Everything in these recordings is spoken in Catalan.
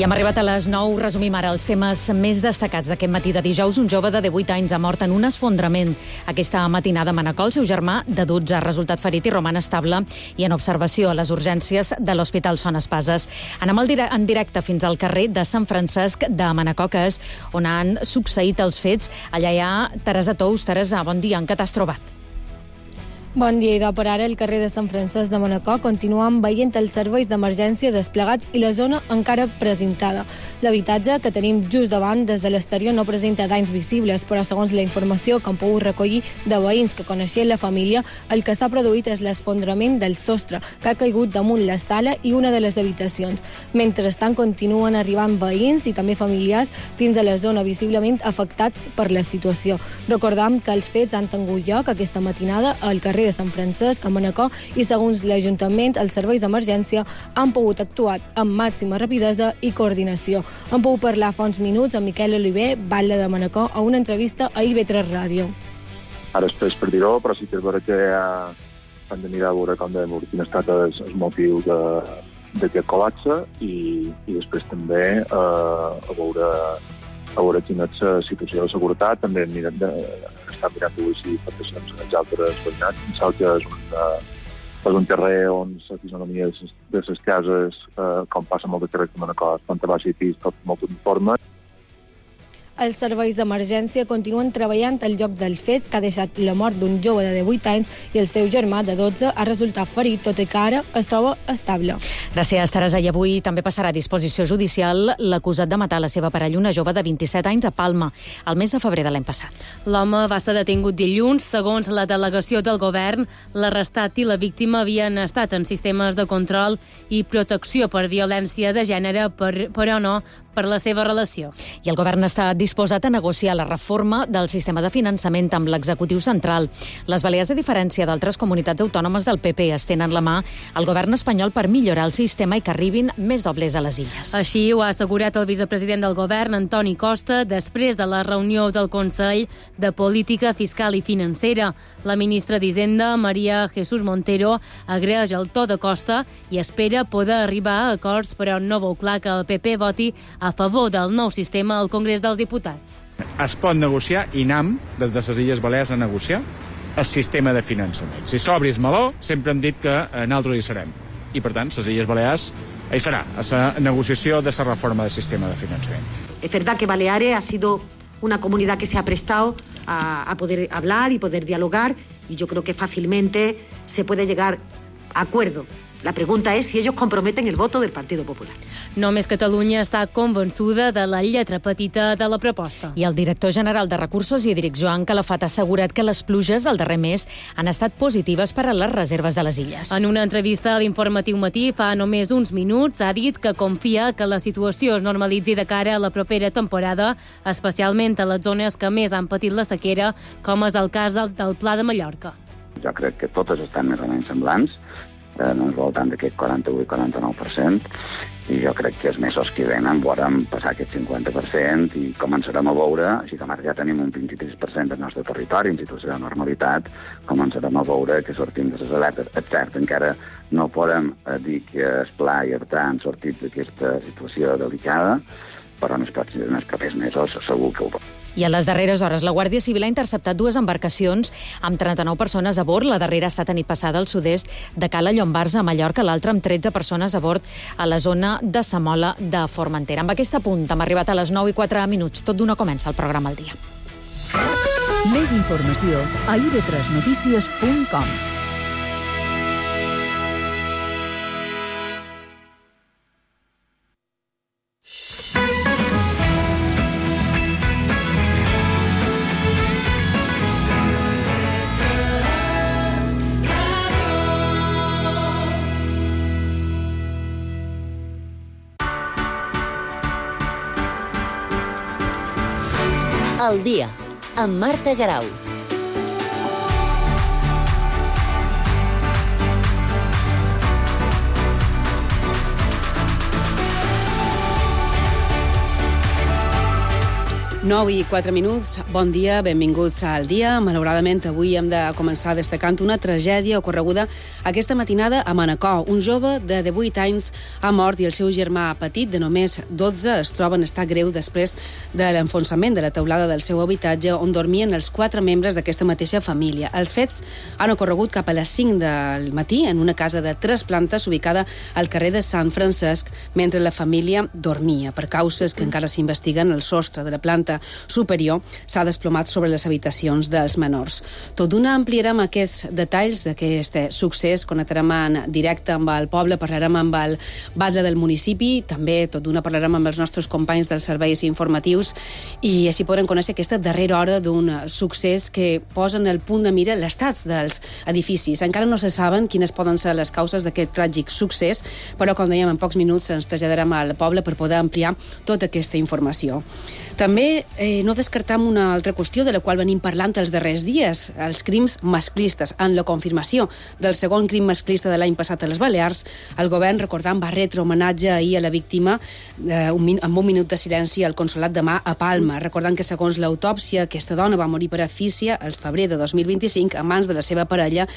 I hem arribat a les 9. Resumim ara els temes més destacats d'aquest matí de dijous. Un jove de 18 anys ha mort en un esfondrament. Aquesta matinada a Manacor, el seu germà de 12 ha resultat ferit i roman estable i en observació a les urgències de l'Hospital Son Espases. Anem en directe fins al carrer de Sant Francesc de Manacor, que és on han succeït els fets. Allà hi ha Teresa Tous. Teresa, bon dia. En què t'has trobat? Bon dia, idò. Per ara, el carrer de Sant Francesc de Manacor continuen veient els serveis d'emergència desplegats i la zona encara presentada. L'habitatge que tenim just davant des de l'exterior no presenta danys visibles, però segons la informació que han pogut recollir de veïns que coneixien la família, el que s'ha produït és l'esfondrament del sostre, que ha caigut damunt la sala i una de les habitacions. Mentrestant, continuen arribant veïns i també familiars fins a la zona visiblement afectats per la situació. Recordam que els fets han tingut lloc aquesta matinada al carrer de Sant Francesc, a Manacor, i segons l'Ajuntament, els serveis d'emergència han pogut actuar amb màxima rapidesa i coordinació. Han pogut parlar fa uns minuts amb Miquel Oliver, batlle de Manacor, a una entrevista a IB3 Ràdio. Ara és per dir-ho, però sí que és vera que hem de mirar a veure quin ha estat el motiu d'aquest col·lapse i després també a veure quina és la situació de seguretat. També està mirant si afectacions en els altres veïnats. Pensava que és un carrer on la fisonomia de les cases, com passa molt de carrers de Manacor, planta baixa i pis, tot molt uniforme. Els serveis d'emergència continuen treballant al lloc dels fets, que ha deixat la mort d'un jove de 18 anys i el seu germà de 12 ha resultat ferit, tot i que ara es troba estable. Gràcies, Teresa. I avui també passarà a disposició judicial l'acusat de matar la seva parella, una jove de 27 anys, a Palma, el mes de febrer de l'any passat. L'home va ser detingut dilluns. Segons la delegació del govern, l'arrestat i la víctima havien estat en sistemes de control i protecció per violència de gènere, però no per la seva relació. I el govern està disposat a negociar la reforma del sistema de finançament amb l'executiu central. Les Balears, a diferència d'altres comunitats autònomes del PP, estenen la mà al govern espanyol per millorar el sistema i que arribin més dobles a les illes. Així ho ha assegurat el vicepresident del govern, Antoni Costa, després de la reunió del Consell de Política Fiscal i Financera. La ministra d'Hisenda, Maria Jesús Montero, agraeix el to de Costa i espera poder arribar a acords, però no veu clar que el PP voti a favor del nou sistema al Congrés dels Diputats. Es pot negociar i anem des de les Illes Balears a negociar el sistema de finançament. Si s'obri el meló, sempre hem dit que nosaltres hi serem. I, per tant, les Illes Balears hi serà, a la negociació de la reforma del sistema de finançament. Es verdad que Baleares ha sido una comunidad que se ha prestado a poder hablar y poder dialogar, y yo creo que fácilmente se puede llegar a acuerdo. La pregunta és si ells comprometen el voto del Partido Popular. Només Catalunya està convençuda de la lletra petita de la proposta. I el director general de Recursos Hídrics, Joan Calafat, ha assegurat que les pluges del darrer mes han estat positives per a les reserves de les illes. En una entrevista a l'Informatiu Matí fa només uns minuts ha dit que confia que la situació es normalitzi de cara a la propera temporada, especialment a les zones que més han patit la sequera, com és el cas del Pla de Mallorca. Jo crec que totes estan més o menys semblants, en el voltant d'aquest 48-49%, i jo crec que els mesos que venen veurem passar aquest 50% i començarem a veure, així com ara ja tenim un 23% del nostre territori en situació de normalitat, començarem a veure que sortim de les alertes. És cert, encara no podem dir que el Pla i Artà han sortit d'aquesta situació delicada, però en els propers mesos segur que ho veurem. I a les darreres hores, la Guàrdia Civil ha interceptat 2 embarcacions amb 39 persones a bord. La darrera ha estat a nit passada al sud-est de Cala Llombards, a Mallorca, l'altra amb 13 persones a bord a la zona de Samola de Formentera. Amb aquest apunt hem arribat a les 9:04. Tot d'una comença el programa al dia. Més informació a ib3notícies.com. El dia, amb Marta Garau. 9:04. Bon dia, benvinguts al dia. Malauradament, avui hem de començar destacant una tragèdia ocorreguda aquesta matinada a Manacor. Un jove de 18 anys ha mort i el seu germà petit, de només 12, es troba en estat greu després de l'enfonsament de la teulada del seu habitatge on dormien els 4 membres d'aquesta mateixa família. Els fets han ocorregut cap a les 5 del matí en una casa de 3 plantes ubicada al carrer de Sant Francesc mentre la família dormia. Per causes que encara s'investiguen, el sostre de la planta superior s'ha desplomat sobre les habitacions dels menors. Tot d'una ampliarem aquests detalls d'aquest succés, connectarem en directe amb el poble, parlarem amb el batlle del municipi, també tot d'una parlarem amb els nostres companys dels serveis informatius i així podrem conèixer aquesta darrera hora d'un succés que posa en el punt de mira l'estat dels edificis. Encara no se saben quines poden ser les causes d'aquest tràgic succés, però com dèiem, en pocs minuts ens traslladarem al poble per poder ampliar tota aquesta informació. També no descartam una altra qüestió de la qual venim parlant els darrers dies, els crims masclistes. En la confirmació del segon crim masclista de l'any passat a les Balears, el govern, recordant, va retre homenatge ahir a la víctima amb un minut de silenci al Consolat de Mà a Palma, recordant que segons l'autòpsia aquesta dona va morir per asfíxia el febrer de 2025 a mans de la seva parella,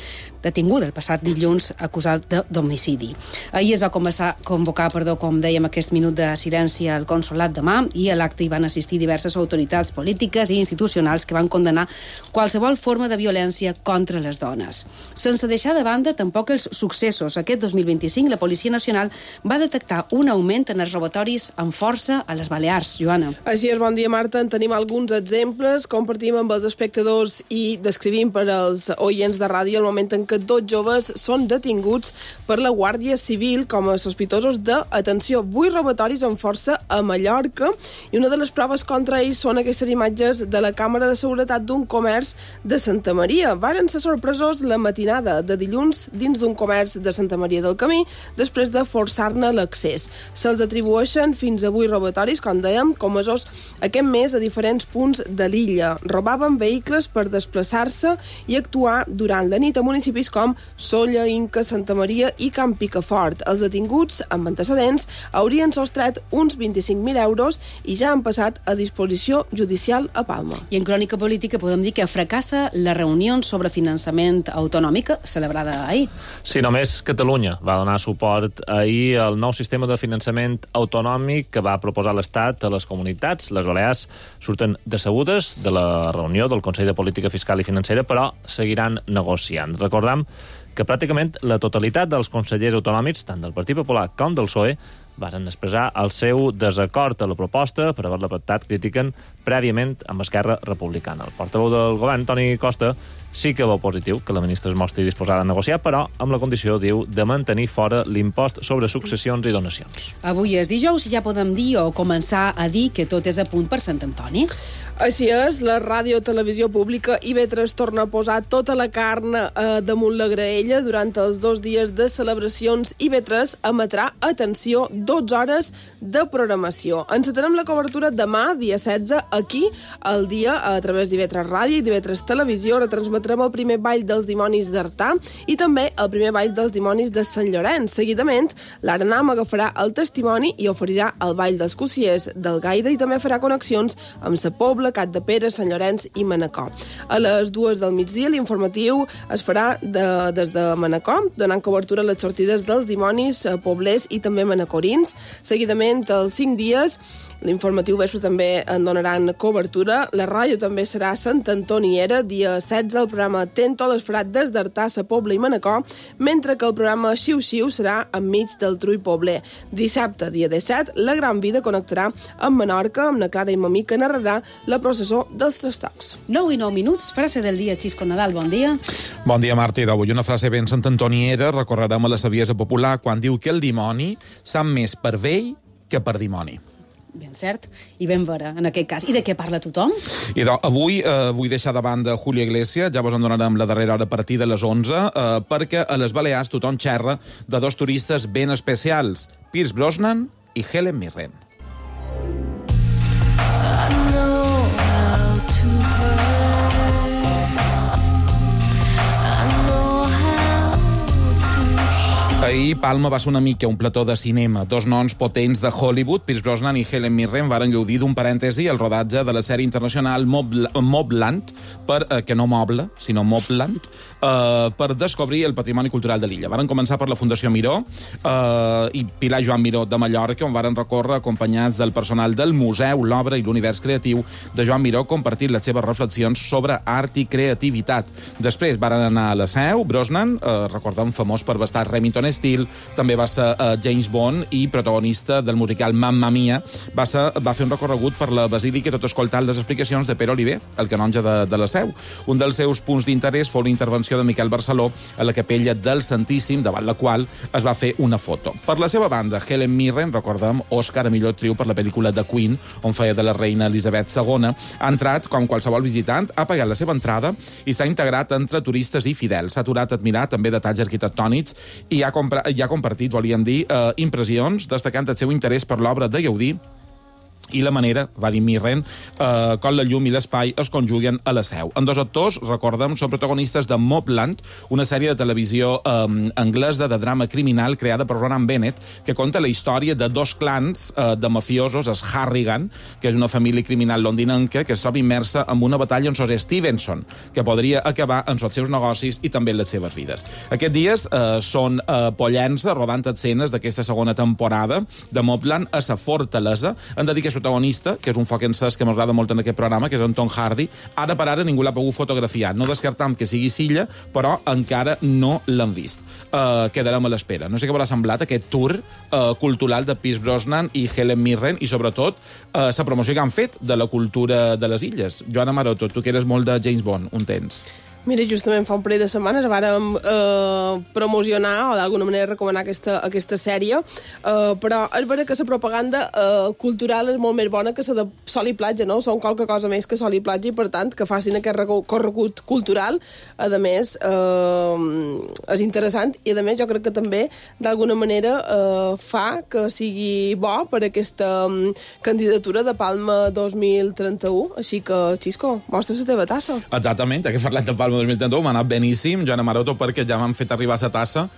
detinguda el passat dilluns acusat d'homicidi. Ahir es va convocar, com dèiem, aquest minut de silenci al Consolat de Mà i a l'acte hi van assistir diverses autoritats polítiques i institucionals que van condenar qualsevol forma de violència contra les dones. Sense deixar de banda tampoc els successos. Aquest 2025 la Policia Nacional va detectar un augment en els robatoris amb força a les Balears. Joana. Així és, bon dia, Marta. En tenim alguns exemples, compartim amb els espectadors i descrivim per als oients de ràdio el moment en què 2 joves són detinguts per la Guàrdia Civil com a sospitosos d'atenció. 8 robatoris amb força a Mallorca i una de les proves contra ells són aquestes imatges de la càmera de seguretat d'un comerç de Santa Maria. Varen ser sorpresos la matinada de dilluns dins d'un comerç de Santa Maria del Camí després de forçar-ne l'accés. Se'ls atribueixen fins a 8 robatoris, com dèiem, comesos aquest mes a diferents punts de l'illa. Robaven vehicles per desplaçar-se i actuar durant la nit a municipis com Sóller, Inca, Santa Maria i Camp Picafort. Els detinguts amb antecedents haurien sostret uns 25.000 euros i ja han passat a disposició judicial a Palma. I en crònica política podem dir que fracassa la reunió sobre finançament autonòmic celebrada ahir. Sí, només Catalunya va donar suport ahir al nou sistema de finançament autonòmic que va proposar l'Estat a les comunitats. Les Balears surten decebudes de la reunió del Consell de Política Fiscal i Financera, però seguiran negociant. Recordem que pràcticament la totalitat dels consellers autonòmics, tant del Partit Popular com del PSOE, varen expressar el seu desacord a la proposta per haver-la pactat, critiquen prèviament amb Esquerra Republicana. El portaveu del govern, Toni Costa, sí que veu positiu que la ministra es mostri disposada a negociar, però amb la condició, diu, de mantenir fora l'impost sobre successions i donacions. Avui és dijous i ja podem dir o començar a dir que tot és a punt per Sant Antoni. Així és, la ràdio televisió pública IB3 torna a posar tota la carn damunt la graella. Durant els 2 dies de celebracions, IB3 emetrà, atenció, 12 hores de programació. Encetarem la cobertura demà, dia 16, aquí, al dia, a través d'IB3 Ràdio i d'IB3 Televisió. Retransmetrem el primer ball dels dimonis d'Artà i també el primer ball dels dimonis de Sant Llorenç. Seguidament, l'Arenam agafarà el testimoni i oferirà el ball dels cossiers del Gaida i també farà connexions amb Sa Pobla, Capdepera, Sant Llorenç i Manacor. A les 2 del migdia, l'informatiu es farà des de Manacor, donant cobertura a les sortides dels dimonis poblers i també manacorins. Seguidament, als 5 dies, l'informatiu vespre també en donaran cobertura. La ràdio també serà Sant Antoniera. Dia 16, el programa Tento es farà des d'Artà, Sa Pobla i Manacor, mentre que el programa Xiu-Xiu serà enmig del Trull Pobler. Dissabte, dia 17, la Gran Vida connectarà amb Menorca, amb la Clara i Mamí, que narrarà la processó dels Tres Tocs. 9:09, frase del dia, Xisco Nadal, bon dia. Bon dia, Marta, i d'avui una frase ben santantoniera, recorrerem a la saviesa popular quan diu que el dimoni sap més per vell que per dimoni. Ben cert, i ben vera, en aquest cas. I de què parla tothom? I avui vull deixar de banda Julio Iglesias, ja vos en donarem la darrera hora a partir de les 11, perquè a les Balears tothom xerra de 2 turistes ben especials, Pierce Brosnan i Helen Mirren. Ahir Palma va ser una mica un plató de cinema. Dos noms potents de Hollywood, Pierce Brosnan i Helen Mirren, varen gaudir d'un parèntesi al rodatge de la sèrie internacional Mobland, que no Moble, sinó Mobland, per descobrir el patrimoni cultural de l'illa. Varen començar per la Fundació Miró i Pilar Joan Miró de Mallorca, on varen recórrer acompanyats del personal del museu, l'obra i l'univers creatiu de Joan Miró, compartint les seves reflexions sobre art i creativitat. Després varen anar a la Seu. Brosnan, recordem, famós per bastar Remington Steele, també va ser James Bond i protagonista del musical Mamma Mia. Va fer un recorregut per la Basílica tot escoltant les explicacions de Pere Oliver, el canonge de la Seu. Un dels seus punts d'interès fou la intervenció de Miquel Barceló a la capella del Santíssim, davant la qual es va fer una foto. Per la seva banda, Helen Mirren, recordem, Òscar a millor actriu per la pel·lícula The Queen, on feia de la reina Elisabet II, ha entrat, com qualsevol visitant, ha pagat la seva entrada i s'ha integrat entre turistes i fidels. S'ha aturat a admirar també detalls arquitectònics i ha compartit, volíem dir, impressions, destacant el seu interès per l'obra de Gaudí i la manera, va dir Mirren, com la llum i l'espai es conjuguen a la Seu. En dos actors, recordem, són protagonistes de Mobland, una sèrie de televisió anglesa de drama criminal creada per Ronan Bennett, que conta la història de dos clans de mafiosos, els Harrigan, que és una família criminal londinenca que es troba immersa en una batalla en Sir Stevenson, que podria acabar en els seus negocis i també en les seves vides. Aquests dies són a Pollença, rodant escenes d'aquesta segona temporada de Mobland a la Fortalesa. Han de dir que és protagonista, que és un foc encès que m'agrada molt en aquest programa, que és en Tom Hardy. Ara per ara ningú l'ha pogut fotografiar. No descartam que sigui Silla, però encara no l'han vist. Quedarem a l'espera. No sé què haurà semblat aquest tour cultural de Pierce Brosnan i Helen Mirren i, sobretot, la promoció que han fet de la cultura de les illes. Joana Maroto, tu que eres molt de James Bond, un temps. Mira, justament fa un parell de setmanes vàrem promocionar o d'alguna manera recomanar aquesta sèrie, però és vera que la propaganda cultural és molt més bona que la de sol i platja, no? Són qualque cosa més que sol i platja i, per tant, que facin aquest recorregut cultural, a més, és interessant i, a més, jo crec que també, d'alguna manera, fa que sigui bo per aquesta candidatura de Palma 2031. Així que, Xisco, mostra la teva tassa. Exactament, que parlem de Palma 2031, m'ha anat beníssim, Joana Maroto, perquè ja m'han fet arribar la tassa,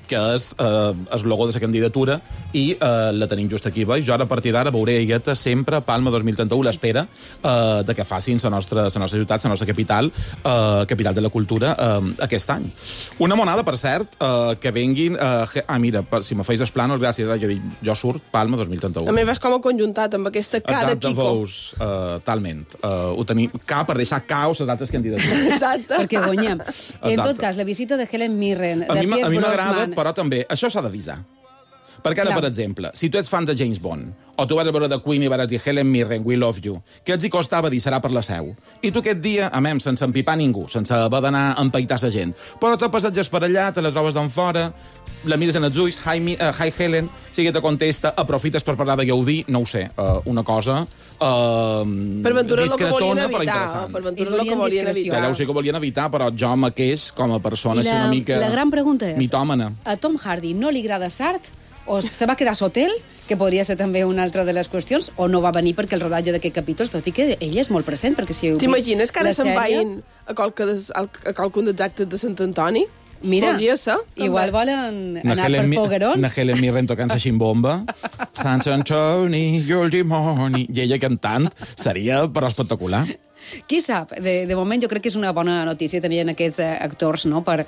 que és el logo de la candidatura, i la tenim just aquí baix. Jo ara, a partir d'ara, veuré Aigueta sempre Palma 2031, l'espera de que facin la nostra ciutat, la nostra capital de la cultura, aquest any. Una monada, per cert, que venguin... mira, si me feis els plànols, gràcies, jo surt Palma 2031. També vas com a conjuntat amb aquesta K de Kiko. Exacte, talment. Ho tenim K per deixar caos les altres candidatures. Exacte. Perquè guanyem. En tot cas, la visita de Helen Mirren, de Pierce Brosnan... Però també, això s'ha d'avisar. Perquè ara, per exemple, si tu ets fan de James Bond, o tu vas a veure The Queen i vas dir Helen Mirren, we love you, què els hi costava dir serà per la Seu? I tu aquest dia, sense empipar ningú, sense haver d'anar a empaitar la gent, però te passeges per allà, te les trobes d'en fora, la mires en els ulls, hi Helen, si te contesta, aprofites per parlar de Gaudí, no ho sé, una cosa per ventura el que volien evitar. Per ventura el que volien evitar. Ja ho sé que volien evitar, però jo mateix, com a persona, així una mica... La gran pregunta és, mitòmana. A Tom Hardy no li agrada Sart? O se va quedar a l'hotel, que podria ser també una altra de les qüestions, o no va venir perquè el rodatge d'aquest capítol, tot i que ell és molt present, perquè si heu vist... T'imagines que ara se'n vagin a qualcun dels actes de Sant Antoni? Mira, ser, igual volen anar per foguerons. Una Helen Mirren tocant la ximbomba. Sant Antoni, your dimoni... I ella cantant seria però espectacular. Qui sap? De moment jo crec que és una bona notícia tenir aquests actors, no?, per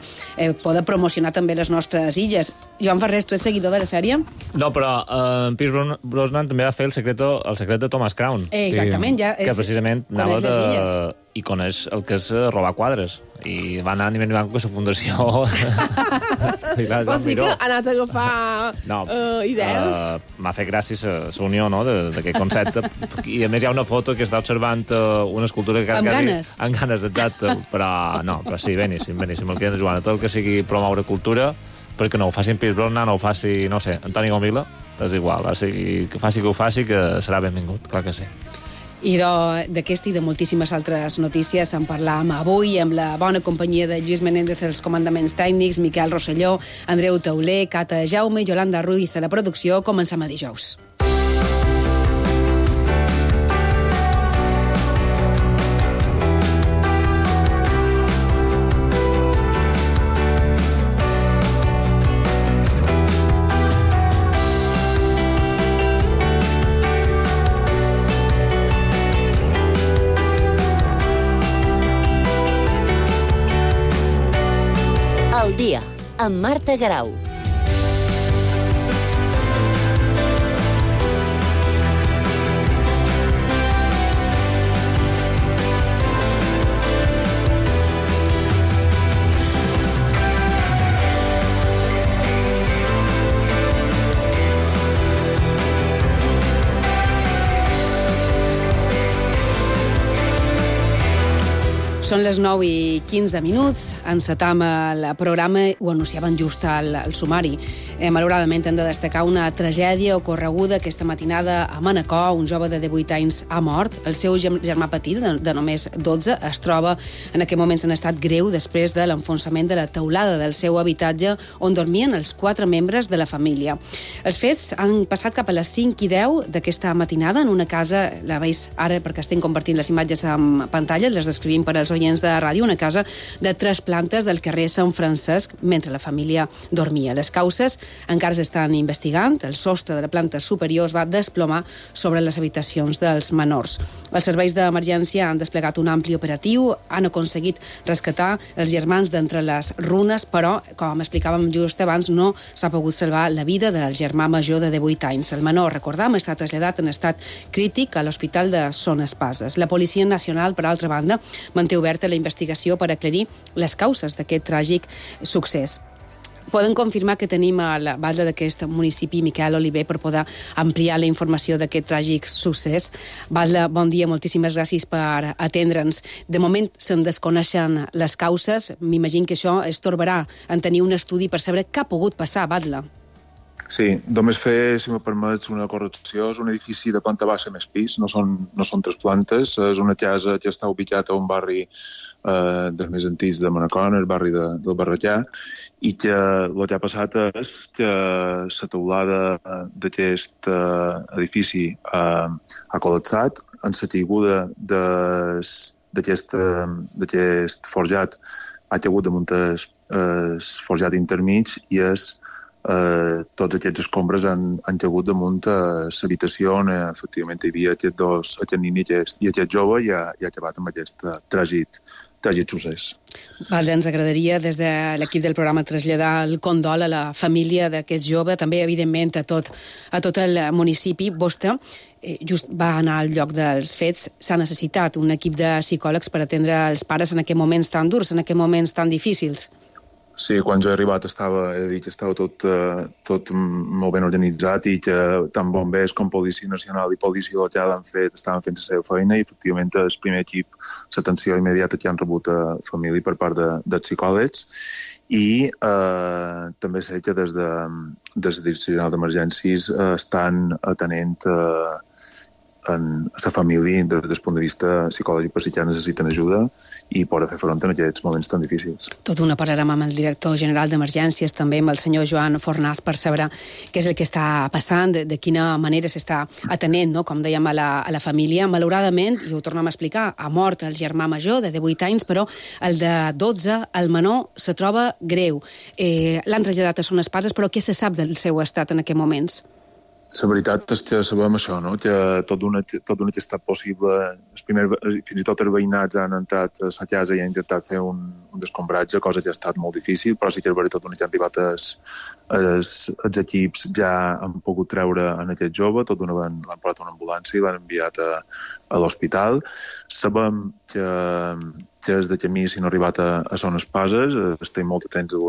poder promocionar també les nostres illes. Joan Ferrés, tu ets seguidor de la sèrie? No, però Pierce Brosnan també va fer el secret de Thomas Crown. Exactament, ja és... Que precisament anava les illes. I coneix el que és robar quadres. I va anar a nivell blanc amb la fundació. Vols dir que ha anat a agafar idees? M'ha fet gràcies a la unió, no?, d'aquest concepte. I a més hi ha una foto que està observant una escultura que... Amb ganes. Amb ganes, exacte. Però sí, beníssim. El que és Joan, tot el que sigui promoure cultura, perquè no ho facin Pierce Brosnan, no ho faci, no sé, Antoni Gomila, és igual, que faci que ho faci, que serà benvingut, clar que sí. I d'aquesta i de moltíssimes altres notícies en parlàvem avui amb la bona companyia de Lluís Menéndez als comandaments tècnics, Miquel Rosselló, Andreu Tauler, Cata Jaume i Yolanda Ruiz a la producció. Comencem a dijous. amb Marta Grau. Són les 9:15, encetam el programa, ho anunciaven just al sumari. Malauradament hem de destacar una tragèdia ocorreguda aquesta matinada a Manacor. Un jove de 18 anys ha mort. El seu germà petit, de només 12, es troba en aquest moments en estat greu després de l'enfonsament de la teulada del seu habitatge on dormien els 4 membres de la família. Els fets han passat cap a les 5:10 d'aquesta matinada en una casa, la veus ara perquè estem compartint les imatges en pantalla, les descrivim per als oients de ràdio, una casa de 3 plantes del carrer Sant Francesc mentre la família dormia. Les causes encara s'estan investigant. El sostre de la planta superior es va desplomar sobre les habitacions dels menors. Els serveis d'emergència han desplegat un ampli operatiu, han aconseguit rescatar els germans d'entre les runes, però, com explicàvem just abans, no s'ha pogut salvar la vida del germà major de 18 anys. El menor, recordam, està traslladat en estat crític a l'Hospital de Son Espases. La Policia Nacional, per altra banda, manté oberta la investigació per aclarir les causes d'aquest tràgic succés. Poden confirmar que tenim a la base d'aquest municipi Miquel Oliver per poder ampliar la informació d'aquest tràgic succés. Batlle, bon dia, moltíssimes gràcies per atendre'ns. De moment se'n desconeixen les causes. M'imagino que això es torbarà en tenir un estudi per saber què ha pogut passar, Batlle. Sí, només fer, si me permets, una correcció. És un edifici de planta baixa més pis, no són 3 plantes. És una casa que està ubicat a un barri dels més antics de Manacor, el barri del Barretjà, i que el que ha passat és que la teulada d'aquest edifici ha col·lapsat en la caiguda d'aquest forjat. Ha caigut damunt el forjat intermig i tots aquests escombres han caigut damunt l'habitació on efectivament hi havia aquest nen i aquest jove i ha acabat amb aquest tràgic succés. Vale, ens agradaria des de l'equip del programa traslladar el condol a la família d'aquest jove, també evidentment a tot el municipi. Vostè just va anar al lloc dels fets. S'ha necessitat un equip de psicòlegs per atendre els pares en aquests moments tan durs, en aquests moments tan difícils. Sí, quan jo he arribat estava tot molt ben organitzat i que tant bombers com Policia Nacional i Policia Local estaven fent la seva feina i efectivament el primer equip, l'atenció immediata que han rebut a família per part dels psicòlegs i també sé que des de la Direcció General d'Emergències estan atenent a la família des del punt de vista psicològic per si ja necessiten ajuda i poder fer front en aquests moments tan difícils. Tot una parlarem amb el director general d'Emergències, també amb el senyor Joan Fornàs, per saber què és el que està passant, de quina manera s'està atenent, no? Com dèiem, a la família. Malauradament, i ho tornem a explicar, ha mort el germà major de 18 anys, però el de 12, el menor, se troba greu. L'han traslladat a Son Espases, però què se sap del seu estat en aquests moments? La veritat és que sabem això, no? Que tot d'una que ha estat possible. Fins i tot els veïnats han entrat a la casa i han intentat fer un descombratge, cosa que ha estat molt difícil, però sí que és veritat que han arribat els equips ja han pogut treure en aquest jove, tot d'una l'han portat a una ambulància i l'han enviat a l'hospital. Sabem que és de camí si no ha arribat a Son Espases, estem molt atents a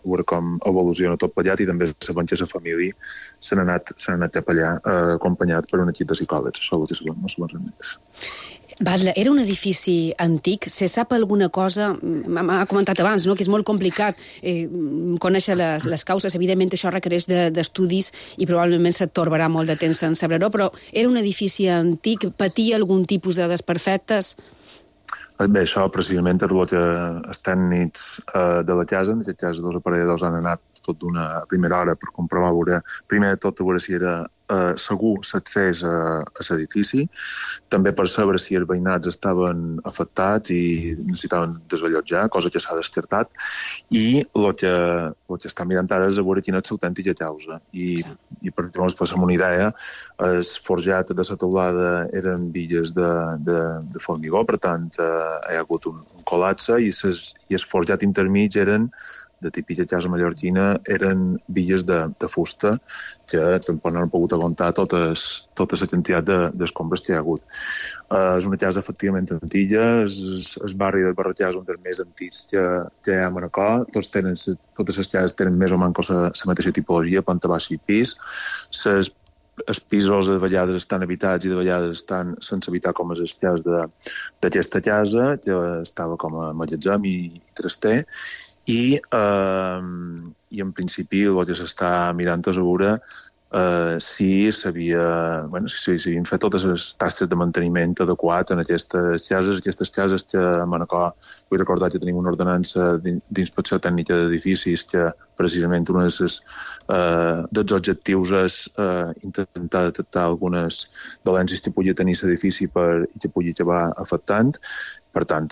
veure com evoluciona tot plegat i també sabem que la família s'han anat cap allà acompanyat per un equip de psicòlegs. Això ho sabem, no sabem res més. Batlle, era un edifici antic. Se sap alguna cosa? M'ha comentat abans, no?, que és molt complicat conèixer les causes. Evidentment, això requereix d'estudis i probablement se't torbarà molt de temps en saber-ho, però era un edifici antic? Patia algun tipus de desperfectes? Bé, això precisament és el que els tècnics de la casa, en aquest cas 2 aparelladors han anat tot d'una primera hora per comprovar, primer de tot, a veure si era segur l'accés a l'edifici, també per saber si els veïnats estaven afectats i necessitaven desallotjar, cosa que s'ha descartat, i el que està mirant ara és a veure quina és l'autèntica causa. I per exemple, per fer una idea, el forjat de la teulada eren billes de formigó, per tant, hi ha hagut un col·lapse i el forjat intermig eren de típica casa mallorquina eren villes de fusta que tampoc no han pogut aguantar tota la quantitat d'escombres que hi ha hagut. És una casa efectivament antiga, el barri del Barratjà és un dels més antics que hi ha a Manacor. Totes les cases tenen més o menys la mateixa tipologia, planta baixa i pis. Els pisos de vegades estan habitats i de vegades estan sense habitar, com les cases d'aquesta casa, que estava com a magatzem i traster. I en principi el que s'està mirant és a veure si s'havien fet totes les tasques de manteniment adequat en aquestes cases que a Manacor, vull recordar que tenim una ordenança d'inspecció tècnica d'edificis que precisament un dels objectius és intentar detectar algunes dolències que pugui tenir l'edifici i que pugui acabar afectant. Per tant,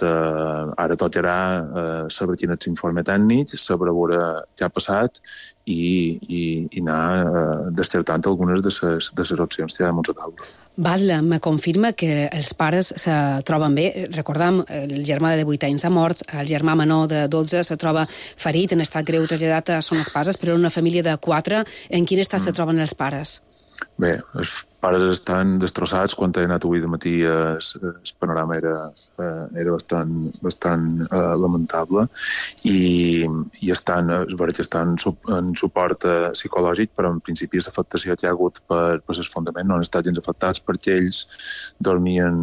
ara tocarà saber quin és l'informe tècnic, saber veure què ha passat i anar descartant algunes de les opcions que hi ha damunt la taula. Batlle, me confirma que els pares se troben bé. Recordam, el germà de 18 anys ha mort, el germà menor de 12 se troba ferit, en estat greu traslladat a Son Espases, però en una família de 4. En quin estat se troben els pares? Bé, els pares estan destrossats. Quan he anat avui de matí el panorama era bastant lamentable i estan en suport psicològic, però en principi l'afectació que hi ha hagut per l'esfondament no han estat gens afectats perquè ells dormien,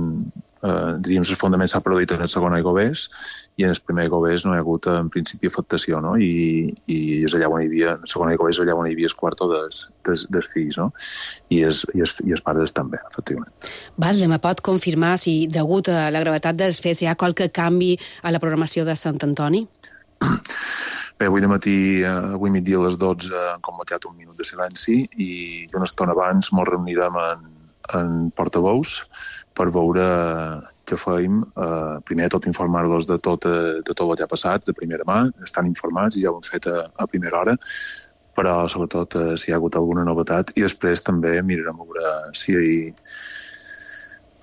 diríem, l'esfondament s'ha produït en el segon aigües i en el primer aigües no hi ha hagut en principi afectació, no? I és allà on hi havia, en el segon aigües allà on hi havia el quarto dels fills, no? I els pares estan bé, efectivament. Batlle, me pot confirmar si, degut a la gravetat dels fets, hi ha qualque canvi a la programació de Sant Antoni? Bé, avui migdia a les 12 han convocat un minut de silenci i una estona abans ens reunirem en portaveus per veure què fem. Primer tot informar-los de tot el que ha passat, de primera mà. Estan informats i ja ho han fet a primera hora, però sobretot si hi ha hagut alguna novetat. I després també mirarem a veure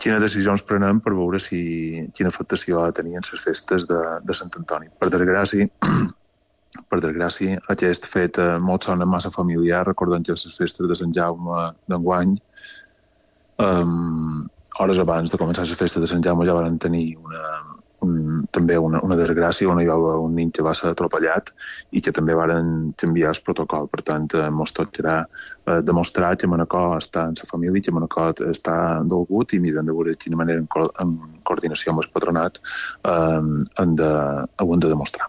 quines decisions prenem per veure quina afectació ha de tenir en les festes de Sant Antoni. Per desgràcia, aquest fet molt sona massa familiar. Recordem que les festes de Sant Jaume d'enguany, hores abans de començar les festes de Sant Jaume, ja van tenir també una desgràcia on hi va haver un nen que va ser atropellat i que també van canviar el protocol. Per tant, ens tocarà demostrar que Manacor està en la família, que Manacor està dolgut i miren de veure de quina manera, en coordinació amb el patronat, ho hem de demostrar.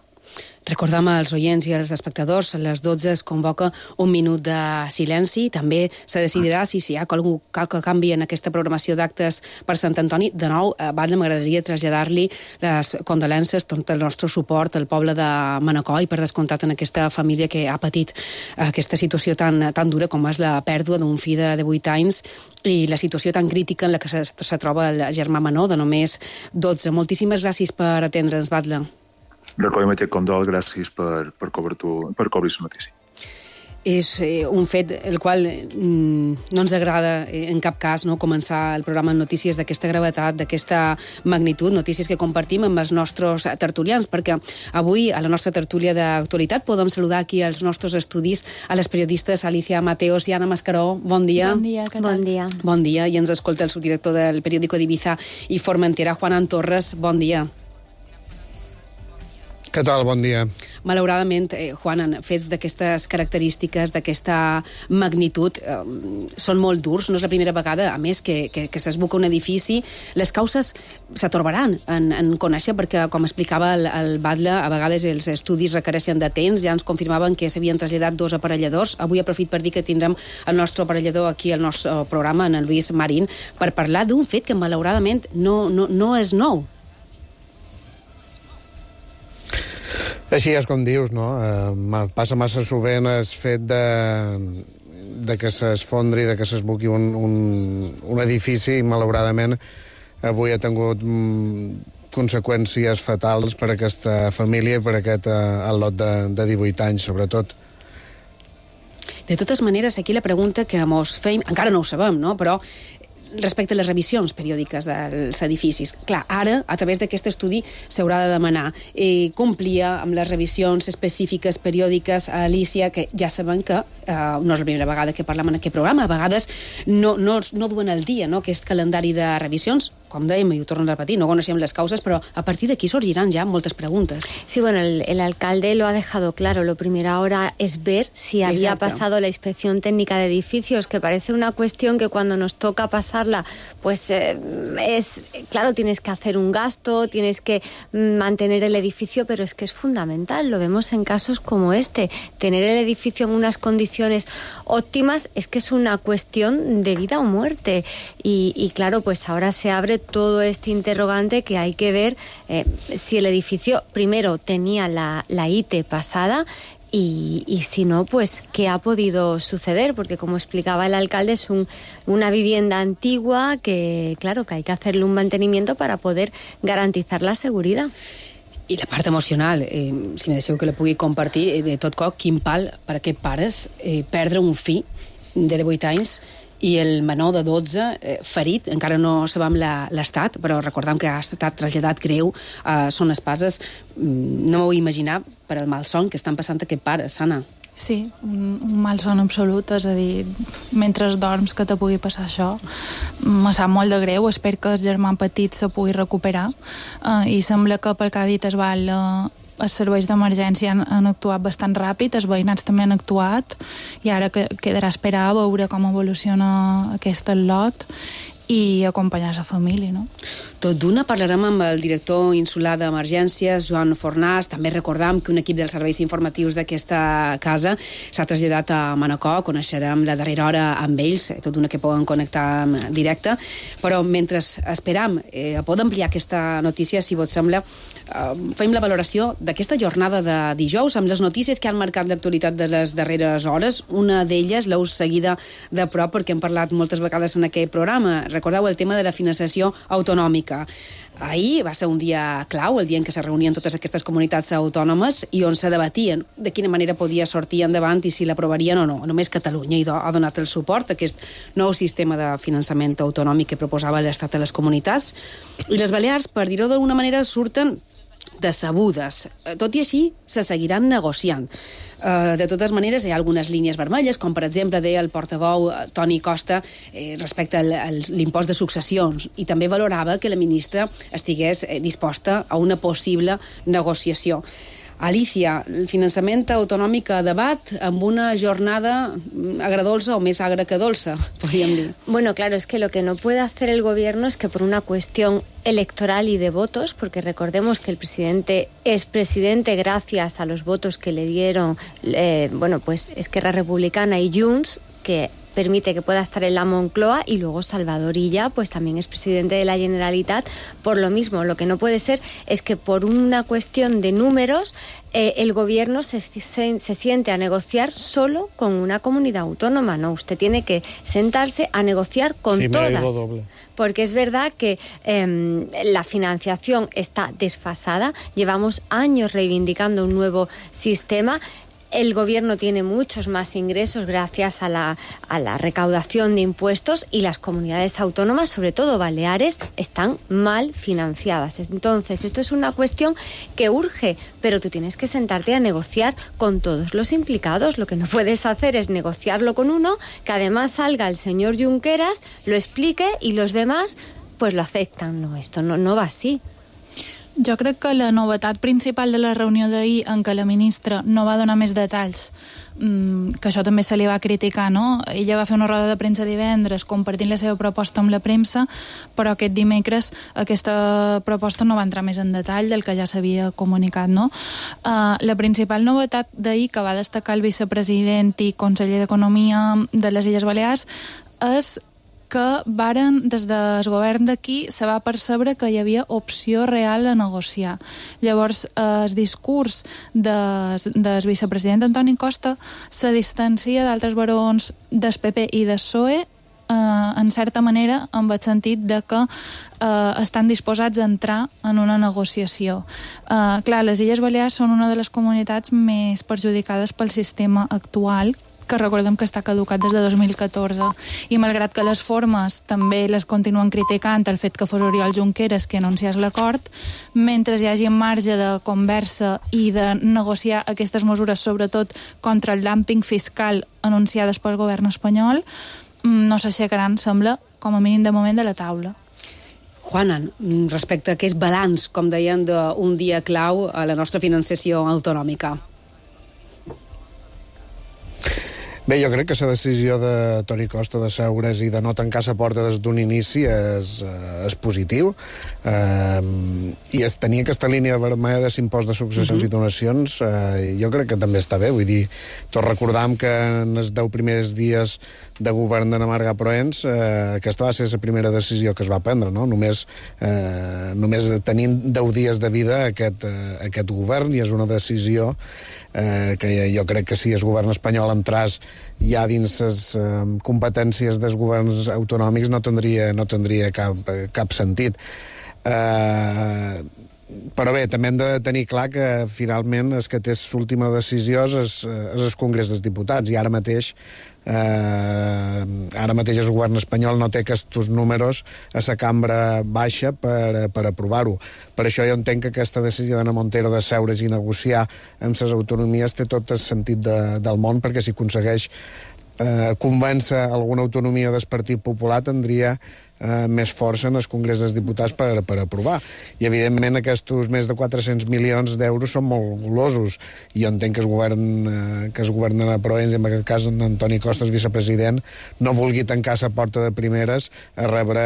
Recordam als oients i als espectadors, a les 12 es convoca un minut de silenci. També se decidirà si hi ha qualque canvi en aquesta programació d'actes per Sant Antoni. De nou, Batlle, m'agradaria traslladar-li les condolences, tot el nostre suport al poble de Manacor i per descomptat en aquesta família que ha patit aquesta situació tan dura com és la pèrdua d'un fill de 8 anys i la situació tan crítica en la que se troba el germà menor de només 12. Moltíssimes gràcies per atendre'ns, Batlle. Recollim aquest condol, gràcies per cobrir la notícia. És un fet el qual no ens agrada en cap cas començar el programa amb notícies d'aquesta gravetat, d'aquesta magnitud, notícies que compartim amb els nostres tertulians, perquè avui a la nostra tertúlia d'actualitat podem saludar aquí als nostres estudis a les periodistes Alicia Mateos i Anna Mascaró. Bon dia. Bon dia, què tal? Bon dia. Bon dia, i ens escolta el subdirector del periòdico d'Ibiza i Formentera, Juan Torres. Bon dia. Què tal? Bon dia. Malauradament, Juan, fets d'aquestes característiques, d'aquesta magnitud, són molt durs. No és la primera vegada, a més, que s'esbuca un edifici. Les causes s'atorbaran en conèixer, perquè, com explicava el Batlle, a vegades els estudis requereixen de temps. Ja ens confirmaven que s'havien traslladat 2 aparelladors. Avui aprofit per dir que tindrem el nostre aparellador aquí al nostre programa, en Lluís Marín, per parlar d'un fet que, malauradament, no és nou. Així és com dius, no? Passa massa sovint el fet de que s'esfondri, de que s'esbuqui un edifici i, malauradament, avui ha tingut conseqüències fatals per a aquesta família i per a aquest al·lot de 18 anys, sobretot. De totes maneres, aquí la pregunta que mos feim, encara no ho sabem, no? Però respecte a les revisions periòdiques dels edificis. Clar, ara, a través d'aquest estudi, s'haurà de demanar complir amb les revisions específiques periòdiques a Alícia, que ja sabem que no és la primera vegada que parlem en aquest programa, a vegades no duen al dia, no?, aquest calendari de revisions. Com dèiem, i ho torno a repetir, no coneixem les causes, però a partir d'aquí sorgiran ya moltes preguntes. Sí, bueno, el alcalde lo ha dejado claro. Lo primero ahora es ver si había pasado la inspección técnica de edificios, que parece una cuestión que cuando nos toca pasarla, pues claro, tienes que hacer un gasto, tienes que mantener el edificio, pero es que es fundamental. Lo vemos en casos como este. Tener el edificio en unas condiciones óptimas es que es una cuestión de vida o muerte. Y claro, pues ahora se abre todo este interrogante que hay que ver si el edificio primero tenía la ITE pasada y si no, pues qué ha podido suceder, porque como explicaba el alcalde, es una vivienda antigua que, claro, que hay que hacerle un mantenimiento para poder garantizar la seguridad. I la part emocional, si me deixeu que la pugui compartir, de tot cop, quin pal per a aquests pares perdre un fill de 18 anys i el menor de 12 ferit, encara no sabem l'estat, però recordem que ha estat traslladat greu, són espases, no m'ho vull imaginar per el malson que estan passant aquests pares, Anna. Sí, un malson absolut, és a dir, mentre dorms que te pugui passar això, me sap molt de greu, espero que el germà petit se pugui recuperar, i sembla que pel que ha dit els serveis d'emergència han actuat bastant ràpid, els veïnats també han actuat, i ara quedarà esperar a veure com evoluciona aquest lot i acompanyar la família, no? Tot d'una parlarem amb el director insular d'Emergències, Joan Fornàs. També recordam que un equip dels serveis informatius d'aquesta casa s'ha traslladat a Manacor. Coneixerem la darrera hora amb ells, tot d'una que poden connectar en directe. Però mentre esperam a poder ampliar aquesta notícia, si vos sembla, fem la valoració d'aquesta jornada de dijous amb les notícies que han marcat l'actualitat de les darreres hores. Una d'elles l'heu seguida de prop perquè hem parlat moltes vegades en aquest programa. Recordeu el tema de la finançació autonòmica. Ahir va ser un dia clau, el dia en què se reunien totes aquestes comunitats autònomes i on se debatien de quina manera podia sortir endavant i si l'aprovarien o no. Només Catalunya ha donat el suport a aquest nou sistema de finançament autonòmic que proposava l'Estat a les comunitats. I les Balears, per dir-ho d'alguna manera, surten decebudes. Tot i així, se seguiran negociant. De totes maneres, hi ha algunes línies vermelles, com per exemple deia el portaveu Toni Costa respecte a l'impost de successions, i també valorava que la ministra estigués disposta a una possible negociació. Alicia, el finançament autonòmic a debat amb una jornada agradolça o més agra que dolça, podríem dir. Bueno, claro, es que lo que no puede hacer el gobierno es que por una cuestión electoral y de votos, porque recordemos que el presidente es presidente gracias a los votos que le dieron, pues Esquerra Republicana y Junts, que permite que pueda estar en la Moncloa, y luego Salvador Illa pues también es presidente de la Generalitat por lo mismo. Lo que no puede ser es que por una cuestión de números el gobierno se siente a negociar solo con una comunidad autónoma. No, usted tiene que sentarse a negociar con todas. Porque es verdad que la financiación está desfasada. Llevamos años reivindicando un nuevo sistema. El gobierno tiene muchos más ingresos gracias a la recaudación de impuestos, y las comunidades autónomas, sobre todo Baleares, están mal financiadas. Entonces, esto es una cuestión que urge, pero tú tienes que sentarte a negociar con todos los implicados. Lo que no puedes hacer es negociarlo con uno, que además salga el señor Junqueras, lo explique y los demás pues lo aceptan. No, esto no va así. Jo crec que la novetat principal de la reunió d'ahir, en què la ministra no va donar més detalls, que això també se li va criticar, no? Ella va fer una roda de premsa divendres compartint la seva proposta amb la premsa, però aquest dimecres aquesta proposta no va entrar més en detall del que ja s'havia comunicat, no? La principal novetat d'ahir, que va destacar el vicepresident i conseller d'Economia de les Illes Balears, és que des del govern d'aquí se va percebre que hi havia opció real a negociar. Llavors, el discurs del vicepresident Antoni Costa se distancia d'altres barons del PP i del PSOE, en certa manera, amb el sentit de que estan disposats a entrar en una negociació. Clar, les Illes Balears són una de les comunitats més perjudicades pel sistema actual, que recordem que està caducat des de 2014. I malgrat que les formes també les continuen criticant, el fet que fos Oriol Junqueras qui anunciés l'acord, mentre hi hagi marge de conversa i de negociar aquestes mesures, sobretot contra el dumping fiscal anunciades pel govern espanyol, no s'aixecaran, sembla, com a mínim de moment, de la taula. Juanan, respecte a aquest balanç, com deien, d'un dia clau a la nostra financiació autonòmica. Bé, jo crec que la decisió de Toni Costa de seure's i de no tancar la porta des d'un inici és positiu, i es tenia aquesta línia vermella de l'impost de successions i donacions, jo crec que també està bé. Vull dir, tots recordam que en els 10 primers dies de govern de Marga Proens aquesta va ser la primera decisió que es va prendre, no? Només tenint 10 dies de vida aquest govern, i és una decisió que jo crec que si el govern espanyol entràs ja dins les competències dels governs autonòmics no tindria cap sentit. Però bé, també hem de tenir clar que finalment el que té l'última decisió és el Congrés dels Diputats, i ara mateix el govern espanyol no té aquests números a la cambra baixa per aprovar-ho. Per això jo entenc que aquesta decisió d'Ana Montero de seure's i negociar amb les autonomies té tot el sentit del món, perquè si aconsegueix convèncer alguna autonomia del Partit Popular tindria més força en el Congrés dels Diputats per aprovar. I, evidentment, aquests més de 400 milions d'euros són molt golosos. I jo entenc que el govern de Proens, en aquest cas en Antoni Costa, el vicepresident, no vulgui tancar la porta de primeres a rebre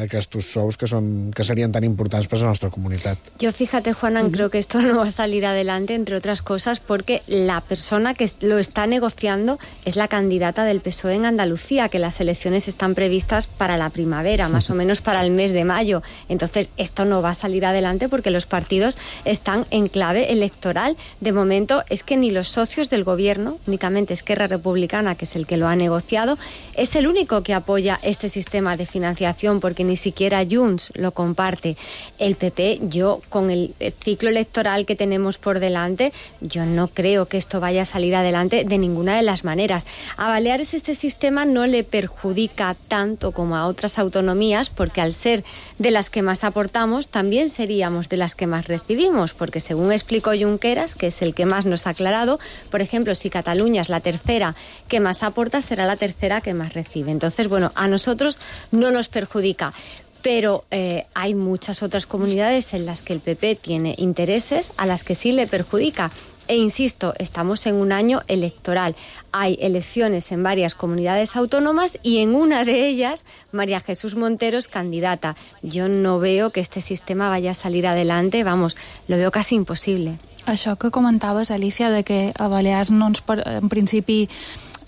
aquests sous que serien tan importants per a la nostra comunitat. Yo, fíjate, Juanan, creo que esto no va a salir adelante, entre otras cosas, porque la persona que lo está negociando es la candidata del PSOE en Andalucía, que las elecciones están previstas para la primavera, más o menos para el mes de mayo. Entonces, esto no va a salir adelante porque los partidos están en clave electoral. De momento, es que ni los socios del gobierno, únicamente Esquerra Republicana, que es el que lo ha negociado, es el único que apoya este sistema de financiación, porque ni siquiera Junts lo comparte. El PP, yo, con el ciclo electoral que tenemos por delante, yo no creo que esto vaya a salir adelante de ninguna de las maneras. A Baleares este sistema no le perjudica tanto como a otras autonomías, porque al ser de las que más aportamos, también seríamos de las que más recibimos, porque según explicó Junqueras, que es el que más nos ha aclarado, por ejemplo, si Cataluña es la tercera que más aporta, será la tercera que más recibe. Entonces, bueno, a nosotros no nos perjudica. Pero hay muchas otras comunidades en las que el PP tiene intereses a las que sí le perjudica. E insisto, estamos en un año electoral. Hay elecciones en varias comunidades autónomas y en una de ellas María Jesús Montero es candidata. Yo no veo que este sistema vaya a salir adelante, vamos, lo veo casi imposible. Això que comentaves, Alicia, de que a Balears en principi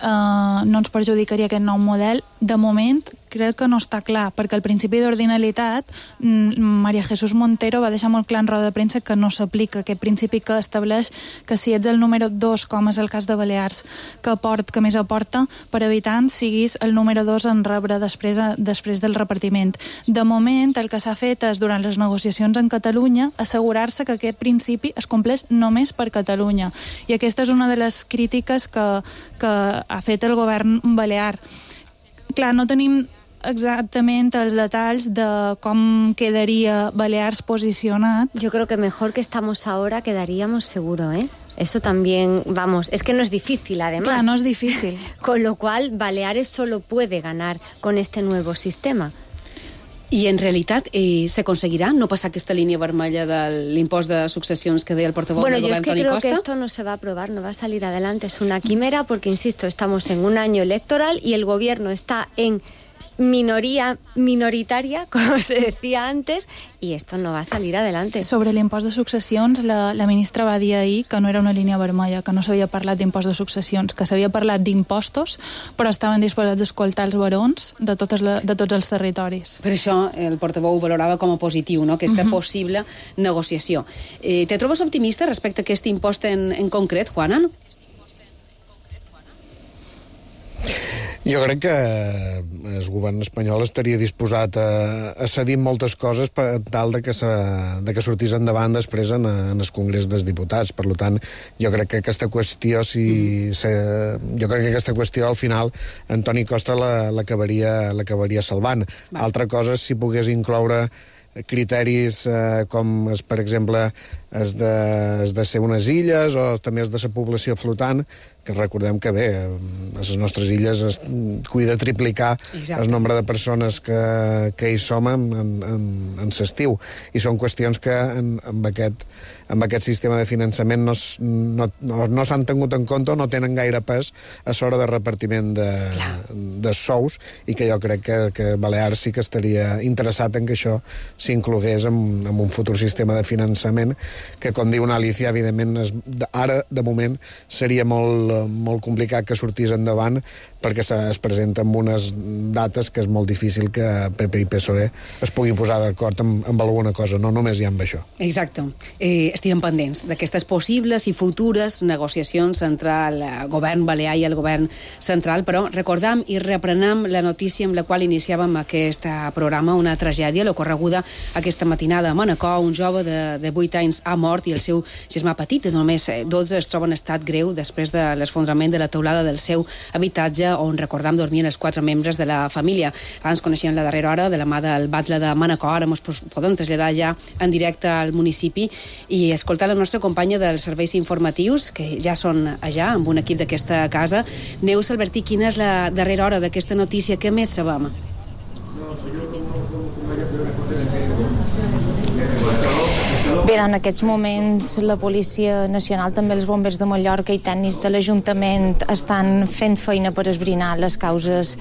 no ens perjudicaria aquest nou model, de moment crec que no està clar, perquè al principi d'ordinalitat María Jesús Montero va deixar molt clar en roda de premsa que no s'aplica aquest principi que estableix que si ets el número 2, com és el cas de Balears, que més aporta per habitant, siguis el número 2 en rebre després del repartiment. De moment, el que s'ha fet és, durant les negociacions en Catalunya, assegurar-se que aquest principi es compleix només per Catalunya. I aquesta és una de les crítiques que ha fet el govern balear. Clar, no tenim exactament els detalls de com quedaria Balears posicionat. Yo creo que mejor que estamos ahora quedaríamos seguro, ¿eh? Eso también, vamos, es que no es difícil además. Claro, no es difícil. Con lo cual, Baleares solo puede ganar con este nuevo sistema. I en realitat s'aconseguirà no passar aquesta línia vermella de l'impost de successions que deia el portaveu del govern, Toni Costa? Bueno, yo es que creo que esto no se va a aprobar, no va a salir adelante. Es una quimera porque, insisto, estamos en un año electoral y el gobierno está en minoría minoritaria, como se decía antes, y esto no va a salir adelante. Sobre l'impost de successions, la ministra va dir ahir que no era una línia vermella, que no s'havia parlat d'impost de successions, que s'havia parlat d'impostos, però estaven disposats a escoltar els barons de tots els territoris. Per això el portaveu valorava com a positiu, no?, aquesta possible negociació. Te trobes optimista respecte a aquest impost en concret, Juanan? Jo crec que el govern espanyol estaria disposat a cedir moltes coses per tal de que sortís endavant després en el Congrés dels Diputats. Per tant, jo crec que aquesta qüestió, al final Antoni Costa l'acabaria salvant. Altra cosa és si pogués incloure criteris com, per exemple, es de ser unes illes o també es de ser població flotant, que recordem que bé, a les nostres illes es cuida triplicar el nombre de persones que hi som en l'estiu. I són qüestions que amb aquest sistema de finançament no s'han tingut en compte o no tenen gaire pes a l'hora de repartiment de sous, i que jo crec que Balears sí que estaria interessat en que això s'inclogués en un futur sistema de finançament que, com diu una Alicia, evidentment ara, de moment, seria molt complicat que sortís endavant perquè es presenta amb unes dates que és molt difícil que PP i PSOE es puguin posar d'acord amb alguna cosa, no només hi ha amb això. Exacte. Estem pendents d'aquestes possibles i futures negociacions entre el govern balear i el govern central, però recordam i reprenem la notícia amb la qual iniciàvem aquest programa, una tragèdia, l'ocorreguda aquesta matinada a Manacor. Un jove de 8 anys ha mort i el seu germà petit, de només 12, es troba en estat greu després de l'esfondrament de la teulada del seu habitatge, on, recordam, dormien els 4 membres de la família. Abans coneixíem la darrera hora de la mà del batlle de Manacor. Ara ens podem traslladar ja en directe al municipi i escoltar la nostra companya dels serveis informatius, que ja són allà, amb un equip d'aquesta casa. Neus Albertí, quina és la darrera hora d'aquesta notícia? Què més sabem? Bé, en aquests moments la Policia Nacional, també els bombers de Mallorca i tècnics de l'Ajuntament estan fent feina per esbrinar les causes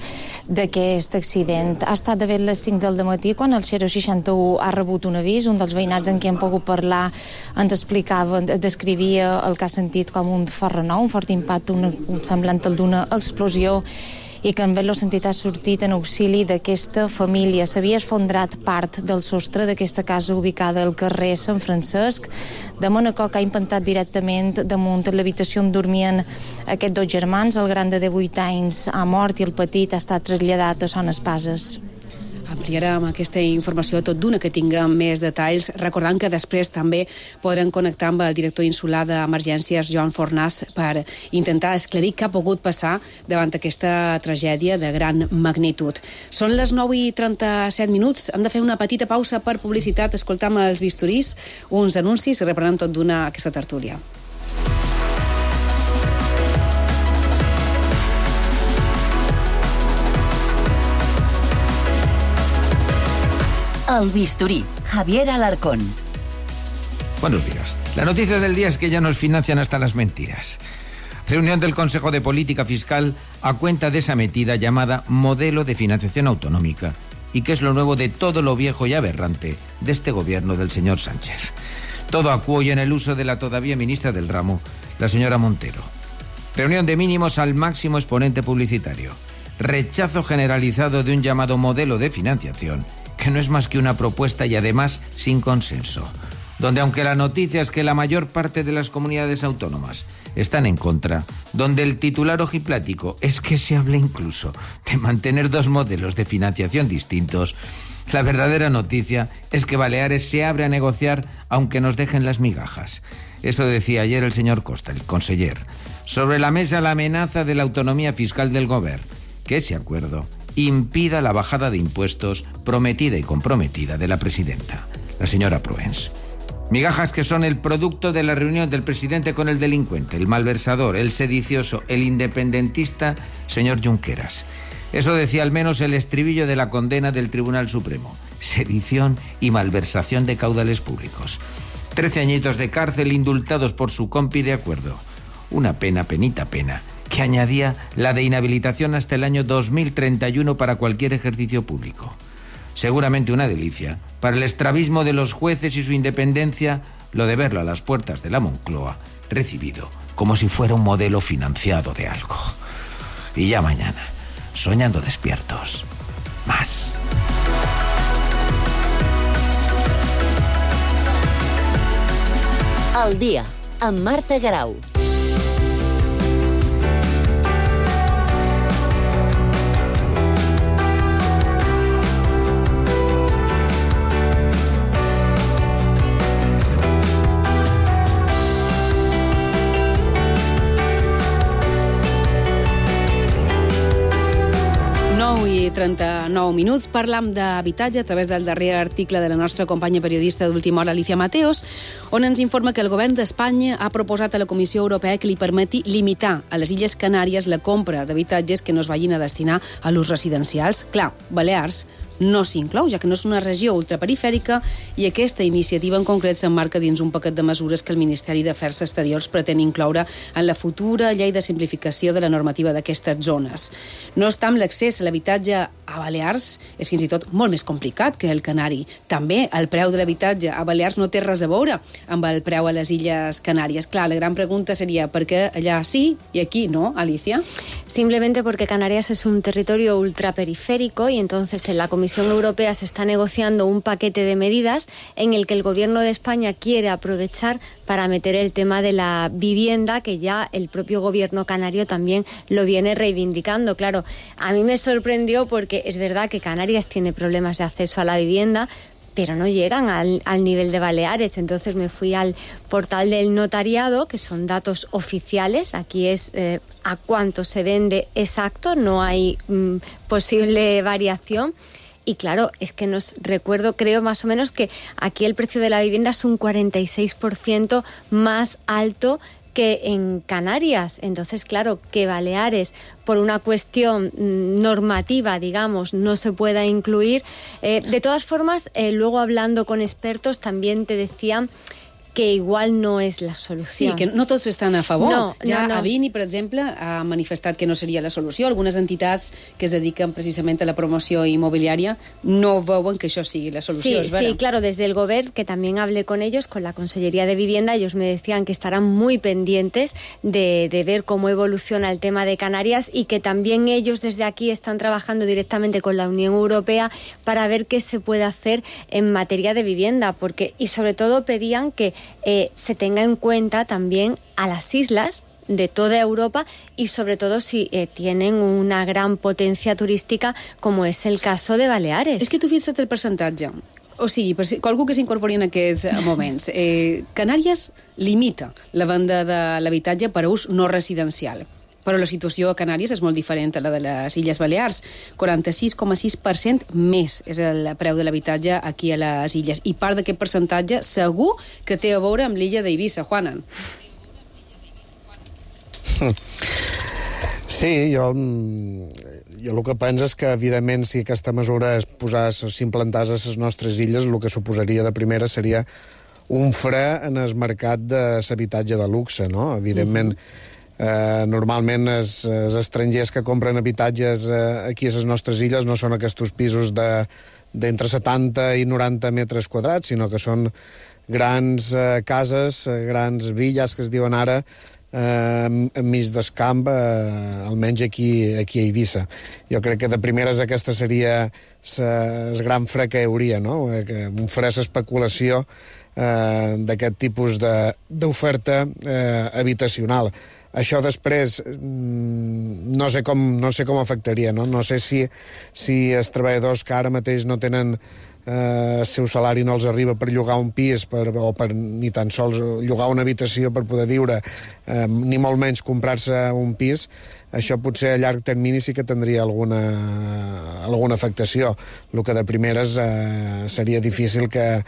d'aquest accident. Ha estat de les 5 del matí quan el 061 ha rebut un avís. Un dels veïnats amb qui hem pogut parlar ens explicava, descrivia el que ha sentit com un fort renou, un fort impacte, un semblant al d'una explosió, i que en el sentit ha sortit en auxili d'aquesta família. S'havia esfondrat part del sostre d'aquesta casa ubicada al carrer Sant Francesc de Manacor, que ha impactat directament damunt l'habitació on dormien aquests 2 germans. El gran de 18 anys ha mort i el petit ha estat traslladat a Son Espases. Ampliarem aquesta informació tot d'una que tinguem més detalls, recordant que després també podrem connectar amb el director insular d'Emergències, Joan Fornàs, per intentar esclarir què ha pogut passar davant aquesta tragèdia de gran magnitud. Són les 9:37. Hem de fer una petita pausa per publicitat, escoltam els bisturís, uns anuncis i reprenem tot d'una aquesta tertúlia. El bisturí, Javier Alarcón. Buenos días. La noticia del día es que ya nos financian hasta las mentiras. Reunión del Consejo de Política Fiscal a cuenta de esa metida llamada modelo de financiación autonómica, y que es lo nuevo de todo lo viejo y aberrante de este gobierno del señor Sánchez. Todo a cuello en el uso de la todavía ministra del ramo, la señora Montero. Reunión de mínimos al máximo exponente publicitario. Rechazo generalizado de un llamado modelo de financiación, que no es más que una propuesta y además sin consenso, donde aunque la noticia es que la mayor parte de las comunidades autónomas están en contra, donde el titular ojiplático es que se habla incluso de mantener 2 modelos de financiación distintos, la verdadera noticia es que Baleares se abre a negociar aunque nos dejen las migajas. Eso decía ayer el señor Costa, el conseller. Sobre la mesa la amenaza de la autonomía fiscal del Gobierno, que ese acuerdo impida la bajada de impuestos prometida y comprometida de la presidenta, la señora Proens. Migajas que son el producto de la reunión del presidente con el delincuente, el malversador, el sedicioso, el independentista, señor Junqueras. Eso decía al menos el estribillo de la condena del Tribunal Supremo. Sedición y malversación de caudales públicos. 13 añitos de cárcel indultados por su compi de acuerdo. Una pena, penita pena, que añadía la de inhabilitación hasta el año 2031 para cualquier ejercicio público. Seguramente una delicia para el estrabismo de los jueces y su independencia, lo de verlo a las puertas de la Moncloa, recibido como si fuera un modelo financiado de algo. Y ya mañana, soñando despiertos, más. Al día, amb Marta Garau. 11:39. Parlam d'habitatge a través del darrer article de la nostra companya periodista d'Última Hora, Alicia Mateos, on ens informa que el govern d'Espanya ha proposat a la Comissió Europea que li permeti limitar a les Illes Canàries la compra d'habitatges que no es vagin a destinar a l'ús residencials. Clar, Balears no s'inclou, ja que no és una regió ultraperifèrica, i aquesta iniciativa en concret s'emmarca dins un paquet de mesures que el Ministeri d'Afers Exteriors pretén incloure en la futura llei de simplificació de la normativa d'aquestes zones. No obstant, l'accés a l'habitatge a Balears és fins i tot molt més complicat que el canari. També el preu de l'habitatge a Balears no té res a veure amb el preu a les Illes Canàries. Clar, la gran pregunta seria per què allà sí i aquí no, Alicia? Simplemente porque Canarias es un territorio ultraperiférico y entonces en la Comisión Europea se está negociando un paquete de medidas en el que el Gobierno de España quiere aprovechar para meter el tema de la vivienda, que ya el propio Gobierno canario también lo viene reivindicando. Claro, a mí me sorprendió porque es verdad que Canarias tiene problemas de acceso a la vivienda, pero no llegan al nivel de Baleares. Entonces me fui al portal del notariado, que son datos oficiales. Aquí es a cuánto se vende exacto, no hay posible variación. Y claro, es que creo más o menos que aquí el precio de la vivienda es un 46% más alto que en Canarias. Entonces, claro, que Baleares, por una cuestión normativa, digamos, no se pueda incluir. De todas formas, luego hablando con expertos también te decían que igual no és la solució. Sí, que no tots estan a favor. No. Avini, per exemple, ha manifestat que no seria la solució. Algunes entitats que es dediquen precisament a la promoció inmobiliària no veuen que això sigui la solució. Sí, claro, desde el Gobierno, que también hablé con ellos, con la Consellería de Vivienda, ellos me decían que estarán muy pendientes de ver cómo evoluciona el tema de Canarias y que también ellos desde aquí están trabajando directamente con la Unión Europea para ver qué se puede hacer en materia de vivienda, y sobre todo pedían que se tenga en cuenta también a las islas de toda Europa y sobre todo si tienen una gran potencia turística como es el caso de Baleares. És que tu fixa't el percentatge. O sigui, per algú que s'incorpori en aquests moments, Canàries limita la venda de l'habitatge per a ús no residencial. Però la situació a Canàries és molt diferent a la de les Illes Balears. 46,6% més és el preu de l'habitatge aquí a les Illes. I part d'aquest percentatge segur que té a veure amb l'illa d'Eivissa, Juanan. Sí, jo el que penso és que, evidentment, si aquesta mesura s'implantés a les nostres illes, el que suposaria de primera seria un fre en el mercat de l'habitatge de luxe, no? Evidentment, normalment els estrangers que compren habitatges aquí a les nostres illes no són aquests pisos d'entre 70 i 90 metres quadrats, sinó que són grans cases, grans villas que es diuen ara, enmig del camp, almenys aquí a Eivissa. Jo crec que de primeres aquesta seria el gran fre que hi hauria, no? Un fre d'especulació d'aquest tipus d'oferta habitacional. Això després no sé com afectaria, no? No sé si els treballadors que ara mateix no tenen el seu salari no els arriba per llogar un pis o per ni tan sols llogar una habitació per poder viure, ni molt menys comprar-se un pis, això potser a llarg termini sí que tindria alguna afectació. El que de primeres seria difícil que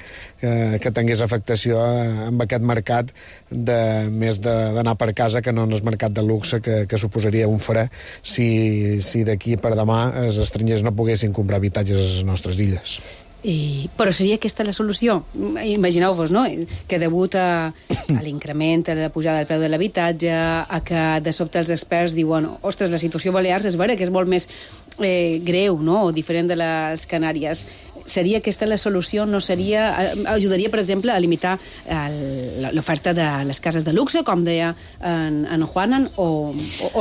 tingués afectació amb aquest mercat més d'anar per casa que no en el mercat de luxe que suposaria un fre si d'aquí per demà els estrangers no poguessin comprar habitatges a les nostres illes. Però seria aquesta la solució? Imagineu-vos, no?, que degut a l'increment, a la pujada del preu de l'habitatge, a que de sobte els experts diuen ostres, la situació a Balears és vera que és molt més greu, no?, o diferent de les Canàries. Seria aquesta la solució? No seria... Ajudaria, per exemple, a limitar l'oferta de les cases de luxe, com deia en Juanan, o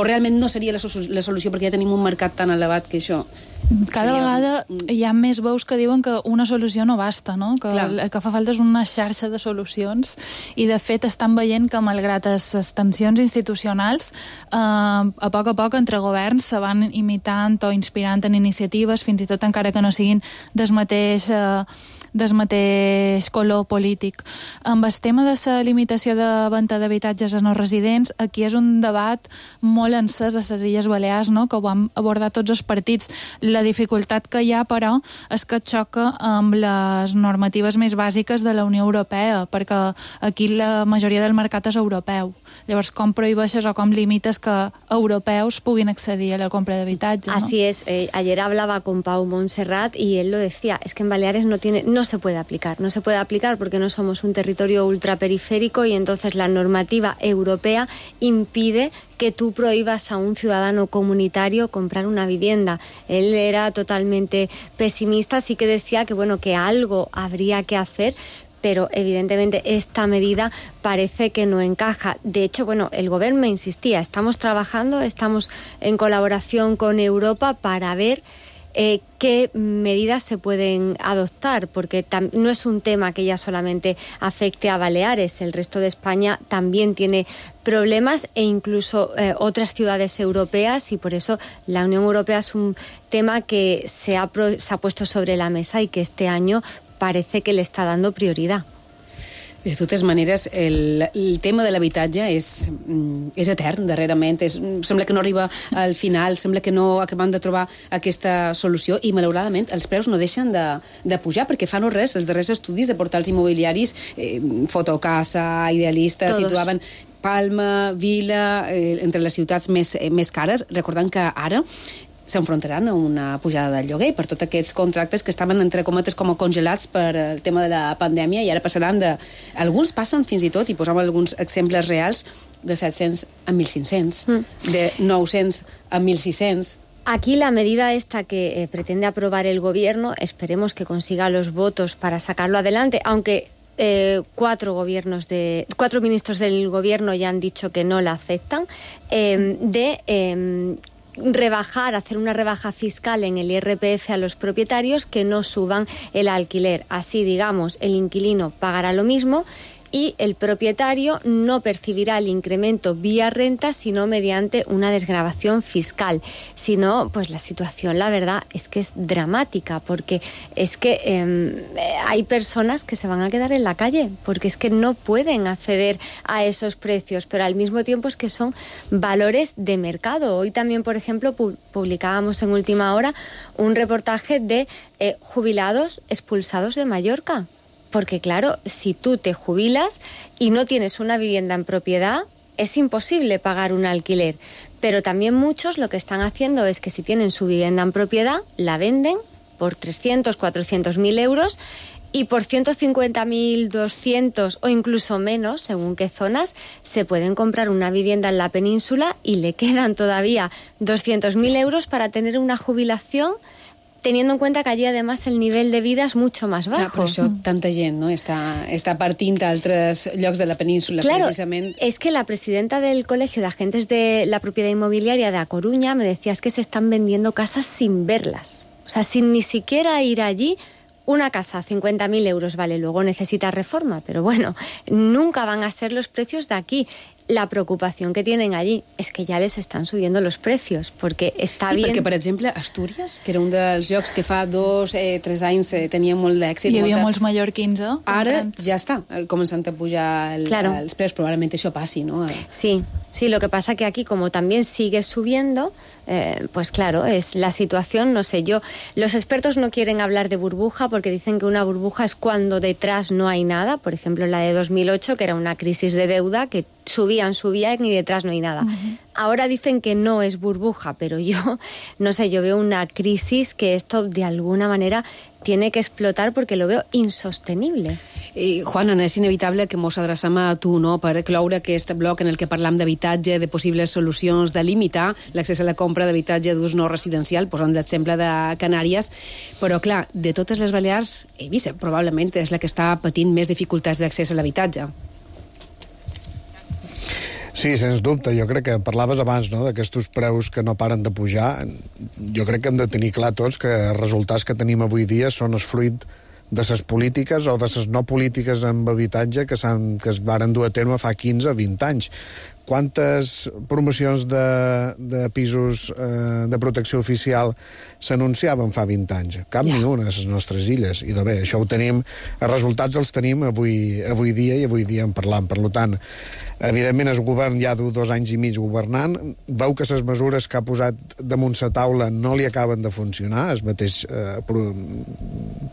realment no seria la solució perquè ja tenim un mercat tan elevat que això... Cada vegada hi ha més veus que diuen que una solució no basta, no? Que el que fa falta és una xarxa de solucions i, de fet, estan veient que, malgrat les tensions institucionals, a poc entre governs se van imitant o inspirant en iniciatives, fins i tot encara que no siguin del mateix color polític. Amb el tema de la limitació de venda d'habitatges a no residents, aquí és un debat molt encès a les Illes Balears, no?, que ho van abordar tots els partits. La dificultat que hi ha, però, és que xoca amb les normatives més bàsiques de la Unió Europea, perquè aquí la majoria del mercat és europeu. Llavors, com prohibeixes o com limites que europeus puguin accedir a la compra d'habitatge, ¿no? Así es. Ayer hablaba con Pau Montserrat y él lo decía, es que en Baleares no se puede aplicar porque no somos un territorio ultraperiférico y entonces la normativa europea impide que tú prohíbas a un ciudadano comunitario comprar una vivienda. Él era totalmente pesimista, sí que decía que bueno, que algo habría que hacer, pero evidentemente esta medida parece que no encaja. De hecho, bueno, el gobierno me insistía, estamos trabajando, estamos en colaboración con Europa para ver qué medidas se pueden adoptar, porque no es un tema que ya solamente afecte a Baleares, el resto de España también tiene problemas e incluso otras ciudades europeas, y por eso la Unión Europea es un tema que se ha puesto sobre la mesa y que este año parece que le está dando prioridad. De totes maneres, el tema de l'habitatge és etern, darrerament. Sembla que no arriba al final, sembla que no acabem de trobar aquesta solució i, malauradament, els preus no deixen de pujar, perquè fa no res, els darrers estudis de portals immobiliaris, Fotocasa, Idealista, situaven Palma, Vila, entre les ciutats més cares, recordant que ara s'enfrontaran a una pujada del lloguer per tots aquests contractes que estaven, entre cometes, com congelats per el tema de la pandèmia, i ara passaran alguns passen fins i tot, i posam alguns exemples reals, de 700 a 1.500, de 900 a 1.600. Aquí la medida esta que pretende aprobar el gobierno, esperemos que consiga los votos para sacarlo adelante, aunque cuatro ministros del gobierno ya han dicho que no la aceptan, hacer una rebaja fiscal en el IRPF a los propietarios que no suban el alquiler. Así, digamos, el inquilino pagará lo mismo y el propietario no percibirá el incremento vía renta, sino mediante una desgravación fiscal. Si no, pues la situación, la verdad, es que es dramática, porque es que hay personas que se van a quedar en la calle, porque es que no pueden acceder a esos precios, pero al mismo tiempo es que son valores de mercado. Hoy también, por ejemplo, publicábamos en Última Hora un reportaje de jubilados expulsados de Mallorca. Porque claro, si tú te jubilas y no tienes una vivienda en propiedad, es imposible pagar un alquiler. Pero también muchos lo que están haciendo es que si tienen su vivienda en propiedad, la venden por 300, 400.000 euros y por 150.000, 200 o incluso menos, según qué zonas, se pueden comprar una vivienda en la península y le quedan todavía 200.000 euros para tener una jubilación, teniendo en cuenta que allí además el nivel de vida es mucho más bajo. Clar, per això tanta gent no està partint a altres llocs de la península, claro, precisament. Es que la presidenta del Colegio de Agentes de la Propiedad Inmobiliaria de A Coruña me decía, es que se están vendiendo casas sin verlas. O sea, sin ni siquiera ir allí. Una casa, 50.000 euros, vale, luego necesita reforma, pero bueno, nunca van a ser los precios de aquí. La preocupación que tienen allí es que ja les estan subiendo los precios, perquè està bien... Sí, perquè, per exemple, Astúries, que era un dels llocs que fa 2 o 3 anys tenia molt d'èxit... Hi havia molts mallorquins, eh? Ara ja està començant a pujar els preus, probablement això passi, ¿no? Sí, lo que pasa que aquí, como también sigue subiendo, pues claro, es la situación, no sé, los expertos no quieren hablar de burbuja porque dicen que una burbuja es cuando detrás no hay nada, por ejemplo, la de 2008, que era una crisis de deuda que subían y detrás no hay nada. Ahora dicen que no es burbuja, pero yo, no sé, yo veo una crisis que esto de alguna manera tiene que explotar porque lo veo insostenible. Juana, és inevitable que mos adreçam a tu, no?, per cloure aquest bloc en el que parlam d'habitatge, de possibles solucions, de limitar l'accés a la compra d'habitatge d'ús no residencial, posant l'exemple de Canàries, però clar, de totes les Balears, Eivissa probablement és la que està patint més dificultats d'accés a l'habitatge. Sí, sens dubte. Jo crec que parlaves abans, no?, d'aquests preus que no paren de pujar. Jo crec que hem de tenir clar tots que els resultats que tenim avui dia són el fruit de les polítiques o de les no polítiques en habitatge que es varen dur a terme fa 15 o 20 anys. quantes promocions de pisos de protecció oficial s'anunciaven fa 20 anys? Cap ni una a les nostres illes. I bé, això ho tenim, els resultats els tenim avui dia, i avui dia en parlam. Per tant, evidentment el govern ja du 2 anys i mig governant, veu que les mesures que ha posat damunt la taula no li acaben de funcionar, el mateix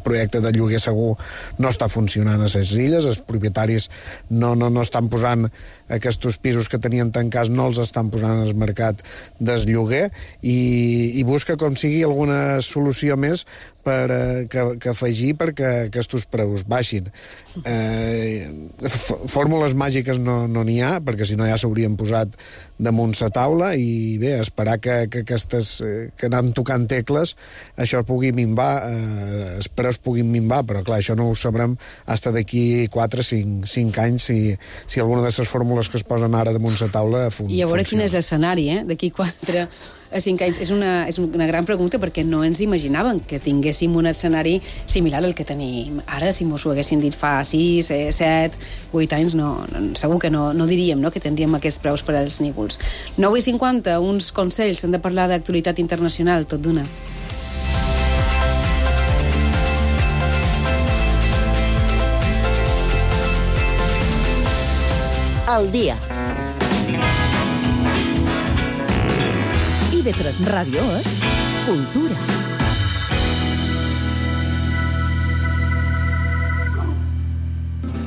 projecte de lloguer segur no està funcionant a les illes, els propietaris no estan posant aquests pisos que tenien tancats, no els estan posant al mercat del lloguer, i busca com sigui alguna solució més que afegir perquè aquests preus baixin. Fórmules màgiques no n'hi ha, perquè si no ja s'haurien posat damunt la taula, i bé, esperar que aquestes que anem tocant tecles, això pugui minvar, els preus puguin minvar, però clar, això no ho sabrem fins d'aquí 4-5 anys si alguna de les fórmules que es posen ara damunt la taula funciona. I a veure quin és l'escenari, d'aquí 4 a 5 anys. És una gran pregunta, perquè no ens imaginàvem que tinguéssim un escenari similar al que tenim ara. Si mos ho haguessin dit fa 6, 7, 8 anys, segur que no diríem que tindríem aquests preus per als nígols. 9:50, uns consells, hem de parlar d'actualitat internacional, tot d'una. El dia. IB3 Ràdio és Cultura.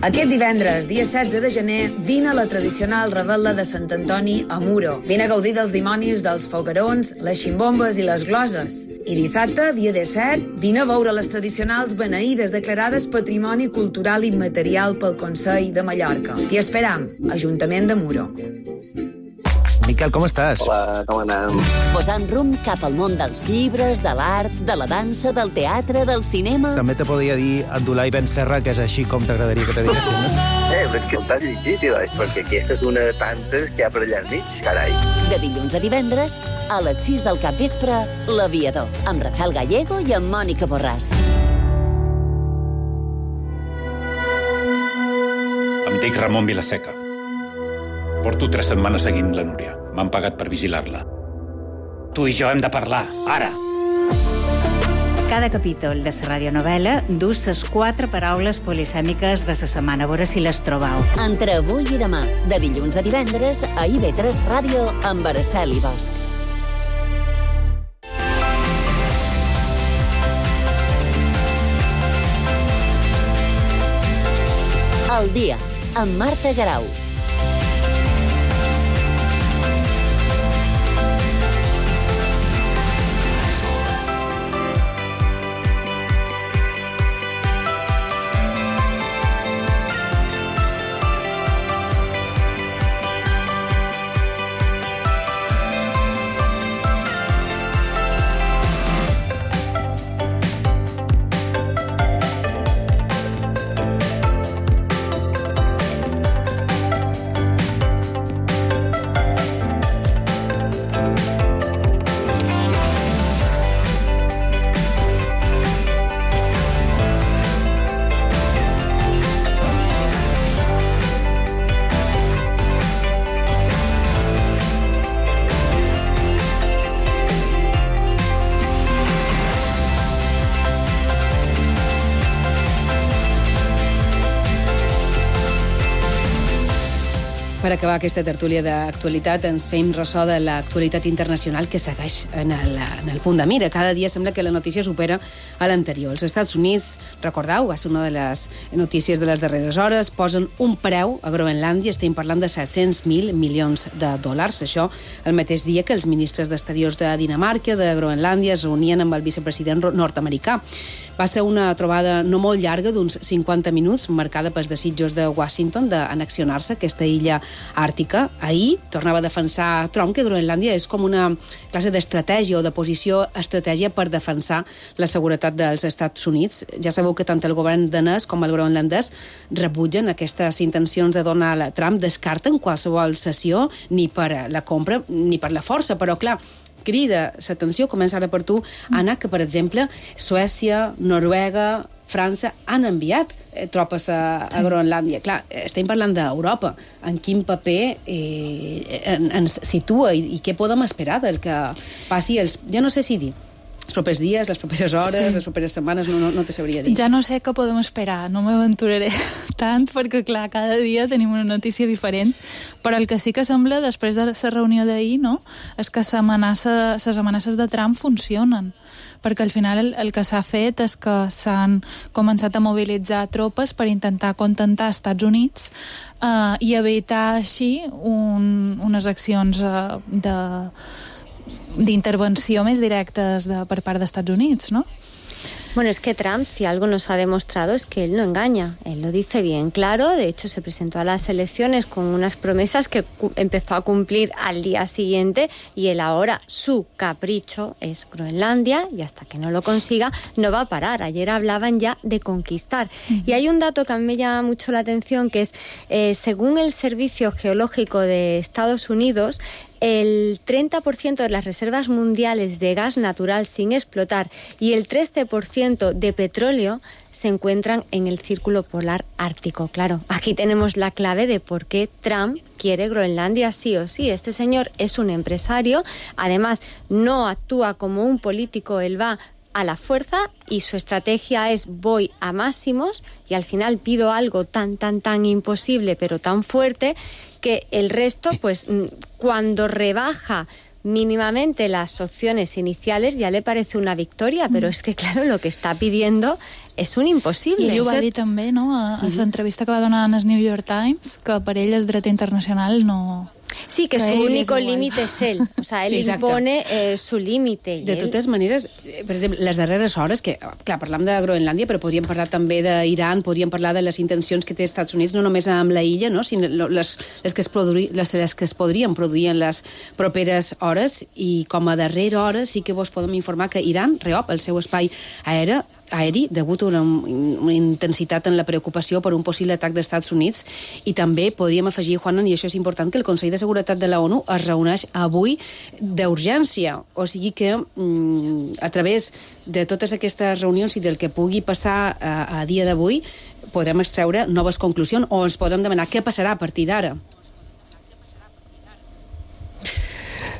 Aquest divendres, dia 16 de gener, vine a la tradicional revetla de Sant Antoni a Muro. Vine a gaudir dels dimonis, dels foguerons, les ximbombes i les gloses. I dissabte, dia 17, vine a veure les tradicionals beneïdes declarades Patrimoni Cultural Immaterial pel Consell de Mallorca. T'hi esperam, Ajuntament de Muro. Miquel, com estàs? Hola, com anem? Posant rumb cap al món dels llibres, de l'art, de la dansa, del teatre, del cinema... També te podria dir Abdulai Ben Serra, que és així com t'agradaria que te diguessin, no? Però és que el t'has llegit, perquè aquesta és una de tantes que hi ha per allà al mig, carai. De dilluns a divendres, a les 6 del capvespre, L'Aviador, amb Rafael Gallego i amb Mònica Borràs. Em dic Ramon Vilaseca. Porto 3 setmanes seguint la Núria. M'han pagat per vigilar-la. Tu i jo hem de parlar, ara. Cada capítol de la radionovel·la dus les 4 paraules polisèmiques de la setmana. A veure si les trobau. Entre avui i demà, de dilluns a divendres, a IB3 Ràdio, amb Araceli Bosch. El dia, amb Marta Garau. Per acabar aquesta tertúlia d'actualitat, ens fem ressò de l'actualitat internacional que segueix en el punt de mira. Cada dia sembla que la notícia supera a l'anterior. Els Estats Units, recordeu, va ser una de les notícies de les darreres hores, posen un preu a Groenlàndia, estem parlant de 700.000 milions de dòlars. Això el mateix dia que els ministres d'Exteriors de Dinamarca, de Groenlàndia, es reunien amb el vicepresident nord-americà. Va ser una trobada no molt llarga, d'uns 50 minuts, marcada pels desitjos de Washington d'annexionar-se aquesta illa àrtica. Ahir tornava a defensar Trump que Groenlàndia és com una classe d'estratègia o de posició estratègia per defensar la seguretat dels Estats Units. Ja sabeu que tant el govern danès com el groenlandès rebutgen aquestes intencions de Donald Trump, descarten qualsevol cessió ni per la compra ni per la força, però clar, crida l'atenció, comença ara per tu, Anna, que per exemple Suècia, Noruega, França han enviat tropes a Groenlàndia. Clar, estem parlant d'Europa. En quin paper ens situa i què podem esperar del que passi ja no sé si dir, els propers dies, les properes hores, les properes setmanes, no te sabria dir. Ja no sé què podem esperar, no m'aventuraré tant, perquè, clar, cada dia tenim una notícia diferent, però el que sí que sembla, després de la reunió d'ahir, no?, és que les amenaces de Trump funcionen, perquè al final el que s'ha fet és que s'han començat a mobilitzar tropes per intentar contentar els Estats Units i evitar així unes accions d'intervenció més directes per part dels Estats Units, ¿no? Bueno, es que Trump, si algo nos ha demostrado, es que él no engaña. Él lo dice bien claro. De hecho, se presentó a las elecciones con unas promesas que empezó a cumplir al día siguiente, y él ahora, su capricho es Groenlandia, y hasta que no lo consiga, no va a parar. Ayer hablaban ya de conquistar. Y hay un dato que a mí me llama mucho la atención, que es, según el Servicio Geológico de Estados Unidos, el 30% de las reservas mundiales de gas natural sin explotar y el 13% de petróleo se encuentran en el Círculo Polar Ártico. Claro, aquí tenemos la clave de por qué Trump quiere Groenlandia sí o sí. Este señor es un empresario, además no actúa como un político, él va a la fuerza y su estrategia es voy a máximos y al final pido algo tan imposible pero tan fuerte que el resto, pues cuando rebaja mínimamente las opciones iniciales ya le parece una victoria, pero es que claro, lo que está pidiendo és un impossible. I ell ho va dir també, no?, a l'entrevista que va donar en el New York Times, que per ell el dret internacional no... Sí, que su único límite es él. O sea, él impone su límite. De totes maneres, per exemple, les darreres hores, que, clar, parlam de Groenlàndia, però podríem parlar també d'Iran, podríem parlar de les intencions que té els Estats Units, no només amb la illa, no?, sinó les que es podrien produir en les properes hores, i com a darrera hora sí que vos podem informar que Iran reop el seu espai aeri degut a una intensitat en la preocupació per un possible atac dels Estats Units, i també podríem afegir, Juanan, i això és important, que el Consell de Seguretat de la ONU es reuneix avui d'urgència, o sigui que a través de totes aquestes reunions i del que pugui passar a dia d'avui podrem extreure noves conclusions o ens podrem demanar què passarà a partir d'ara.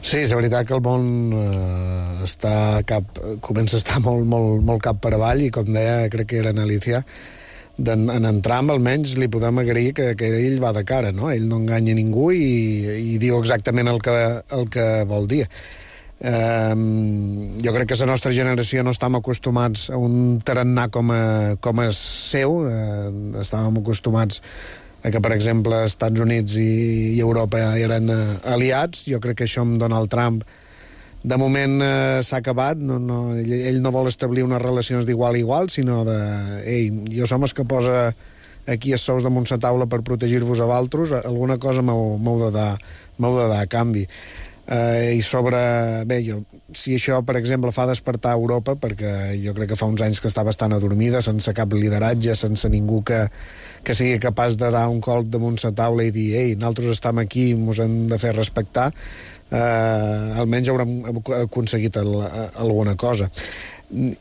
Sí, és veritat que el món comença a estar molt cap per avall, i com deia, crec que era en Alicia, en Trump almenys li podem agrair que ell va de cara, no? Ell no enganya ningú i diu exactament el que vol dir. Jo crec que la nostra generació no estàvem acostumats a un tarannà com és seu, estàvem acostumats a que, per exemple, Estats Units i Europa eren aliats. Jo crec que això amb Donald Trump de moment s'ha acabat. Ell no vol establir unes relacions d'igual a igual, sinó de jo som els que posa aquí els sous damunt la taula per protegir-vos a vosaltres, alguna cosa m'heu de dar a canvi. I sobre... si això, per exemple, fa despertar Europa, perquè jo crec que fa uns anys que està bastant adormida, sense cap lideratge, sense ningú que sigui capaç de dar un colp damunt la taula i dir nosaltres estem aquí, ens hem de fer respectar, almenys haurem aconseguit alguna cosa.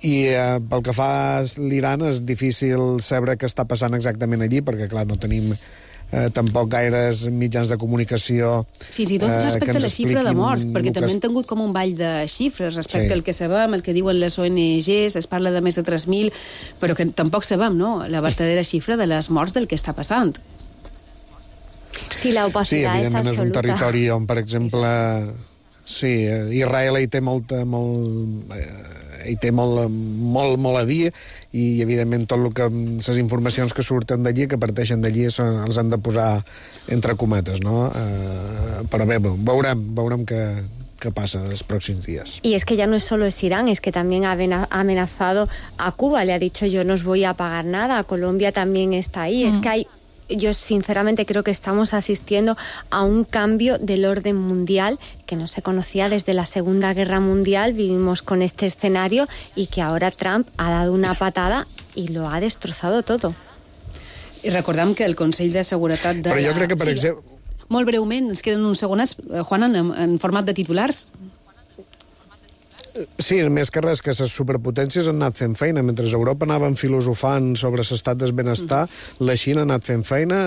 I pel que fa a l'Iran és difícil saber què està passant exactament allí, perquè clar, no tenim tampoc gaires mitjans de comunicació fins i tot respecte a la xifra de morts, perquè també han tingut com un ball de xifres respecte al que sabem, el que diuen les ONGs, es parla de més de 3.000, però que tampoc sabem, no?, la verdadera xifra de les morts del que està passant. Sí, la opacitat és absoluta. És un territori on, per exemple, Israel hi té molt a dir, i evidentment tot el que les informacions que surten d'allí, que parteixen d'allí, els han de posar entre cometes, no? Però bé, veurem qué pasa en los próximos días. Y es que ya no es solo es Irán, es que también ha amenazado a Cuba, le ha dicho yo no os voy a pagar nada, Colombia también está ahí, es que yo sinceramente creo que estamos asistiendo a un cambio del orden mundial que no se conocía desde la Segunda Guerra Mundial. Vivimos con este escenario y que ahora Trump ha dado una patada y lo ha destrozado todo. I recordem que el Consell de Seguretat de... Però jo crec que, per exemple... Molt breument, ens queden uns segonets, Juan, en format de titulars. Sí, més que res, que les superpotències han anat fent feina. Mentre Europa anaven filosofant sobre l'estat del benestar, la Xina ha anat fent feina,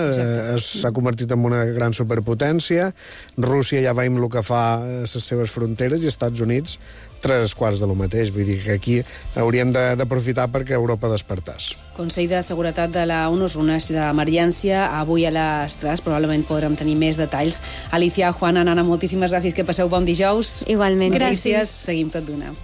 s'ha convertit en una gran superpotència, Rússia ja veiem el que fa a les seves fronteres, i Estats Units 3/4 de lo mateix. Vull dir que aquí hauríem d'aprofitar perquè Europa despertàs. Consell de Seguretat de la ONU es reuneix d'emergència avui a les 3. Probablement podrem tenir més detalls. Alicia, Juana, Nana, moltíssimes gràcies. Que passeu bon dijous. Igualment. Gràcies. Seguim tot d'una.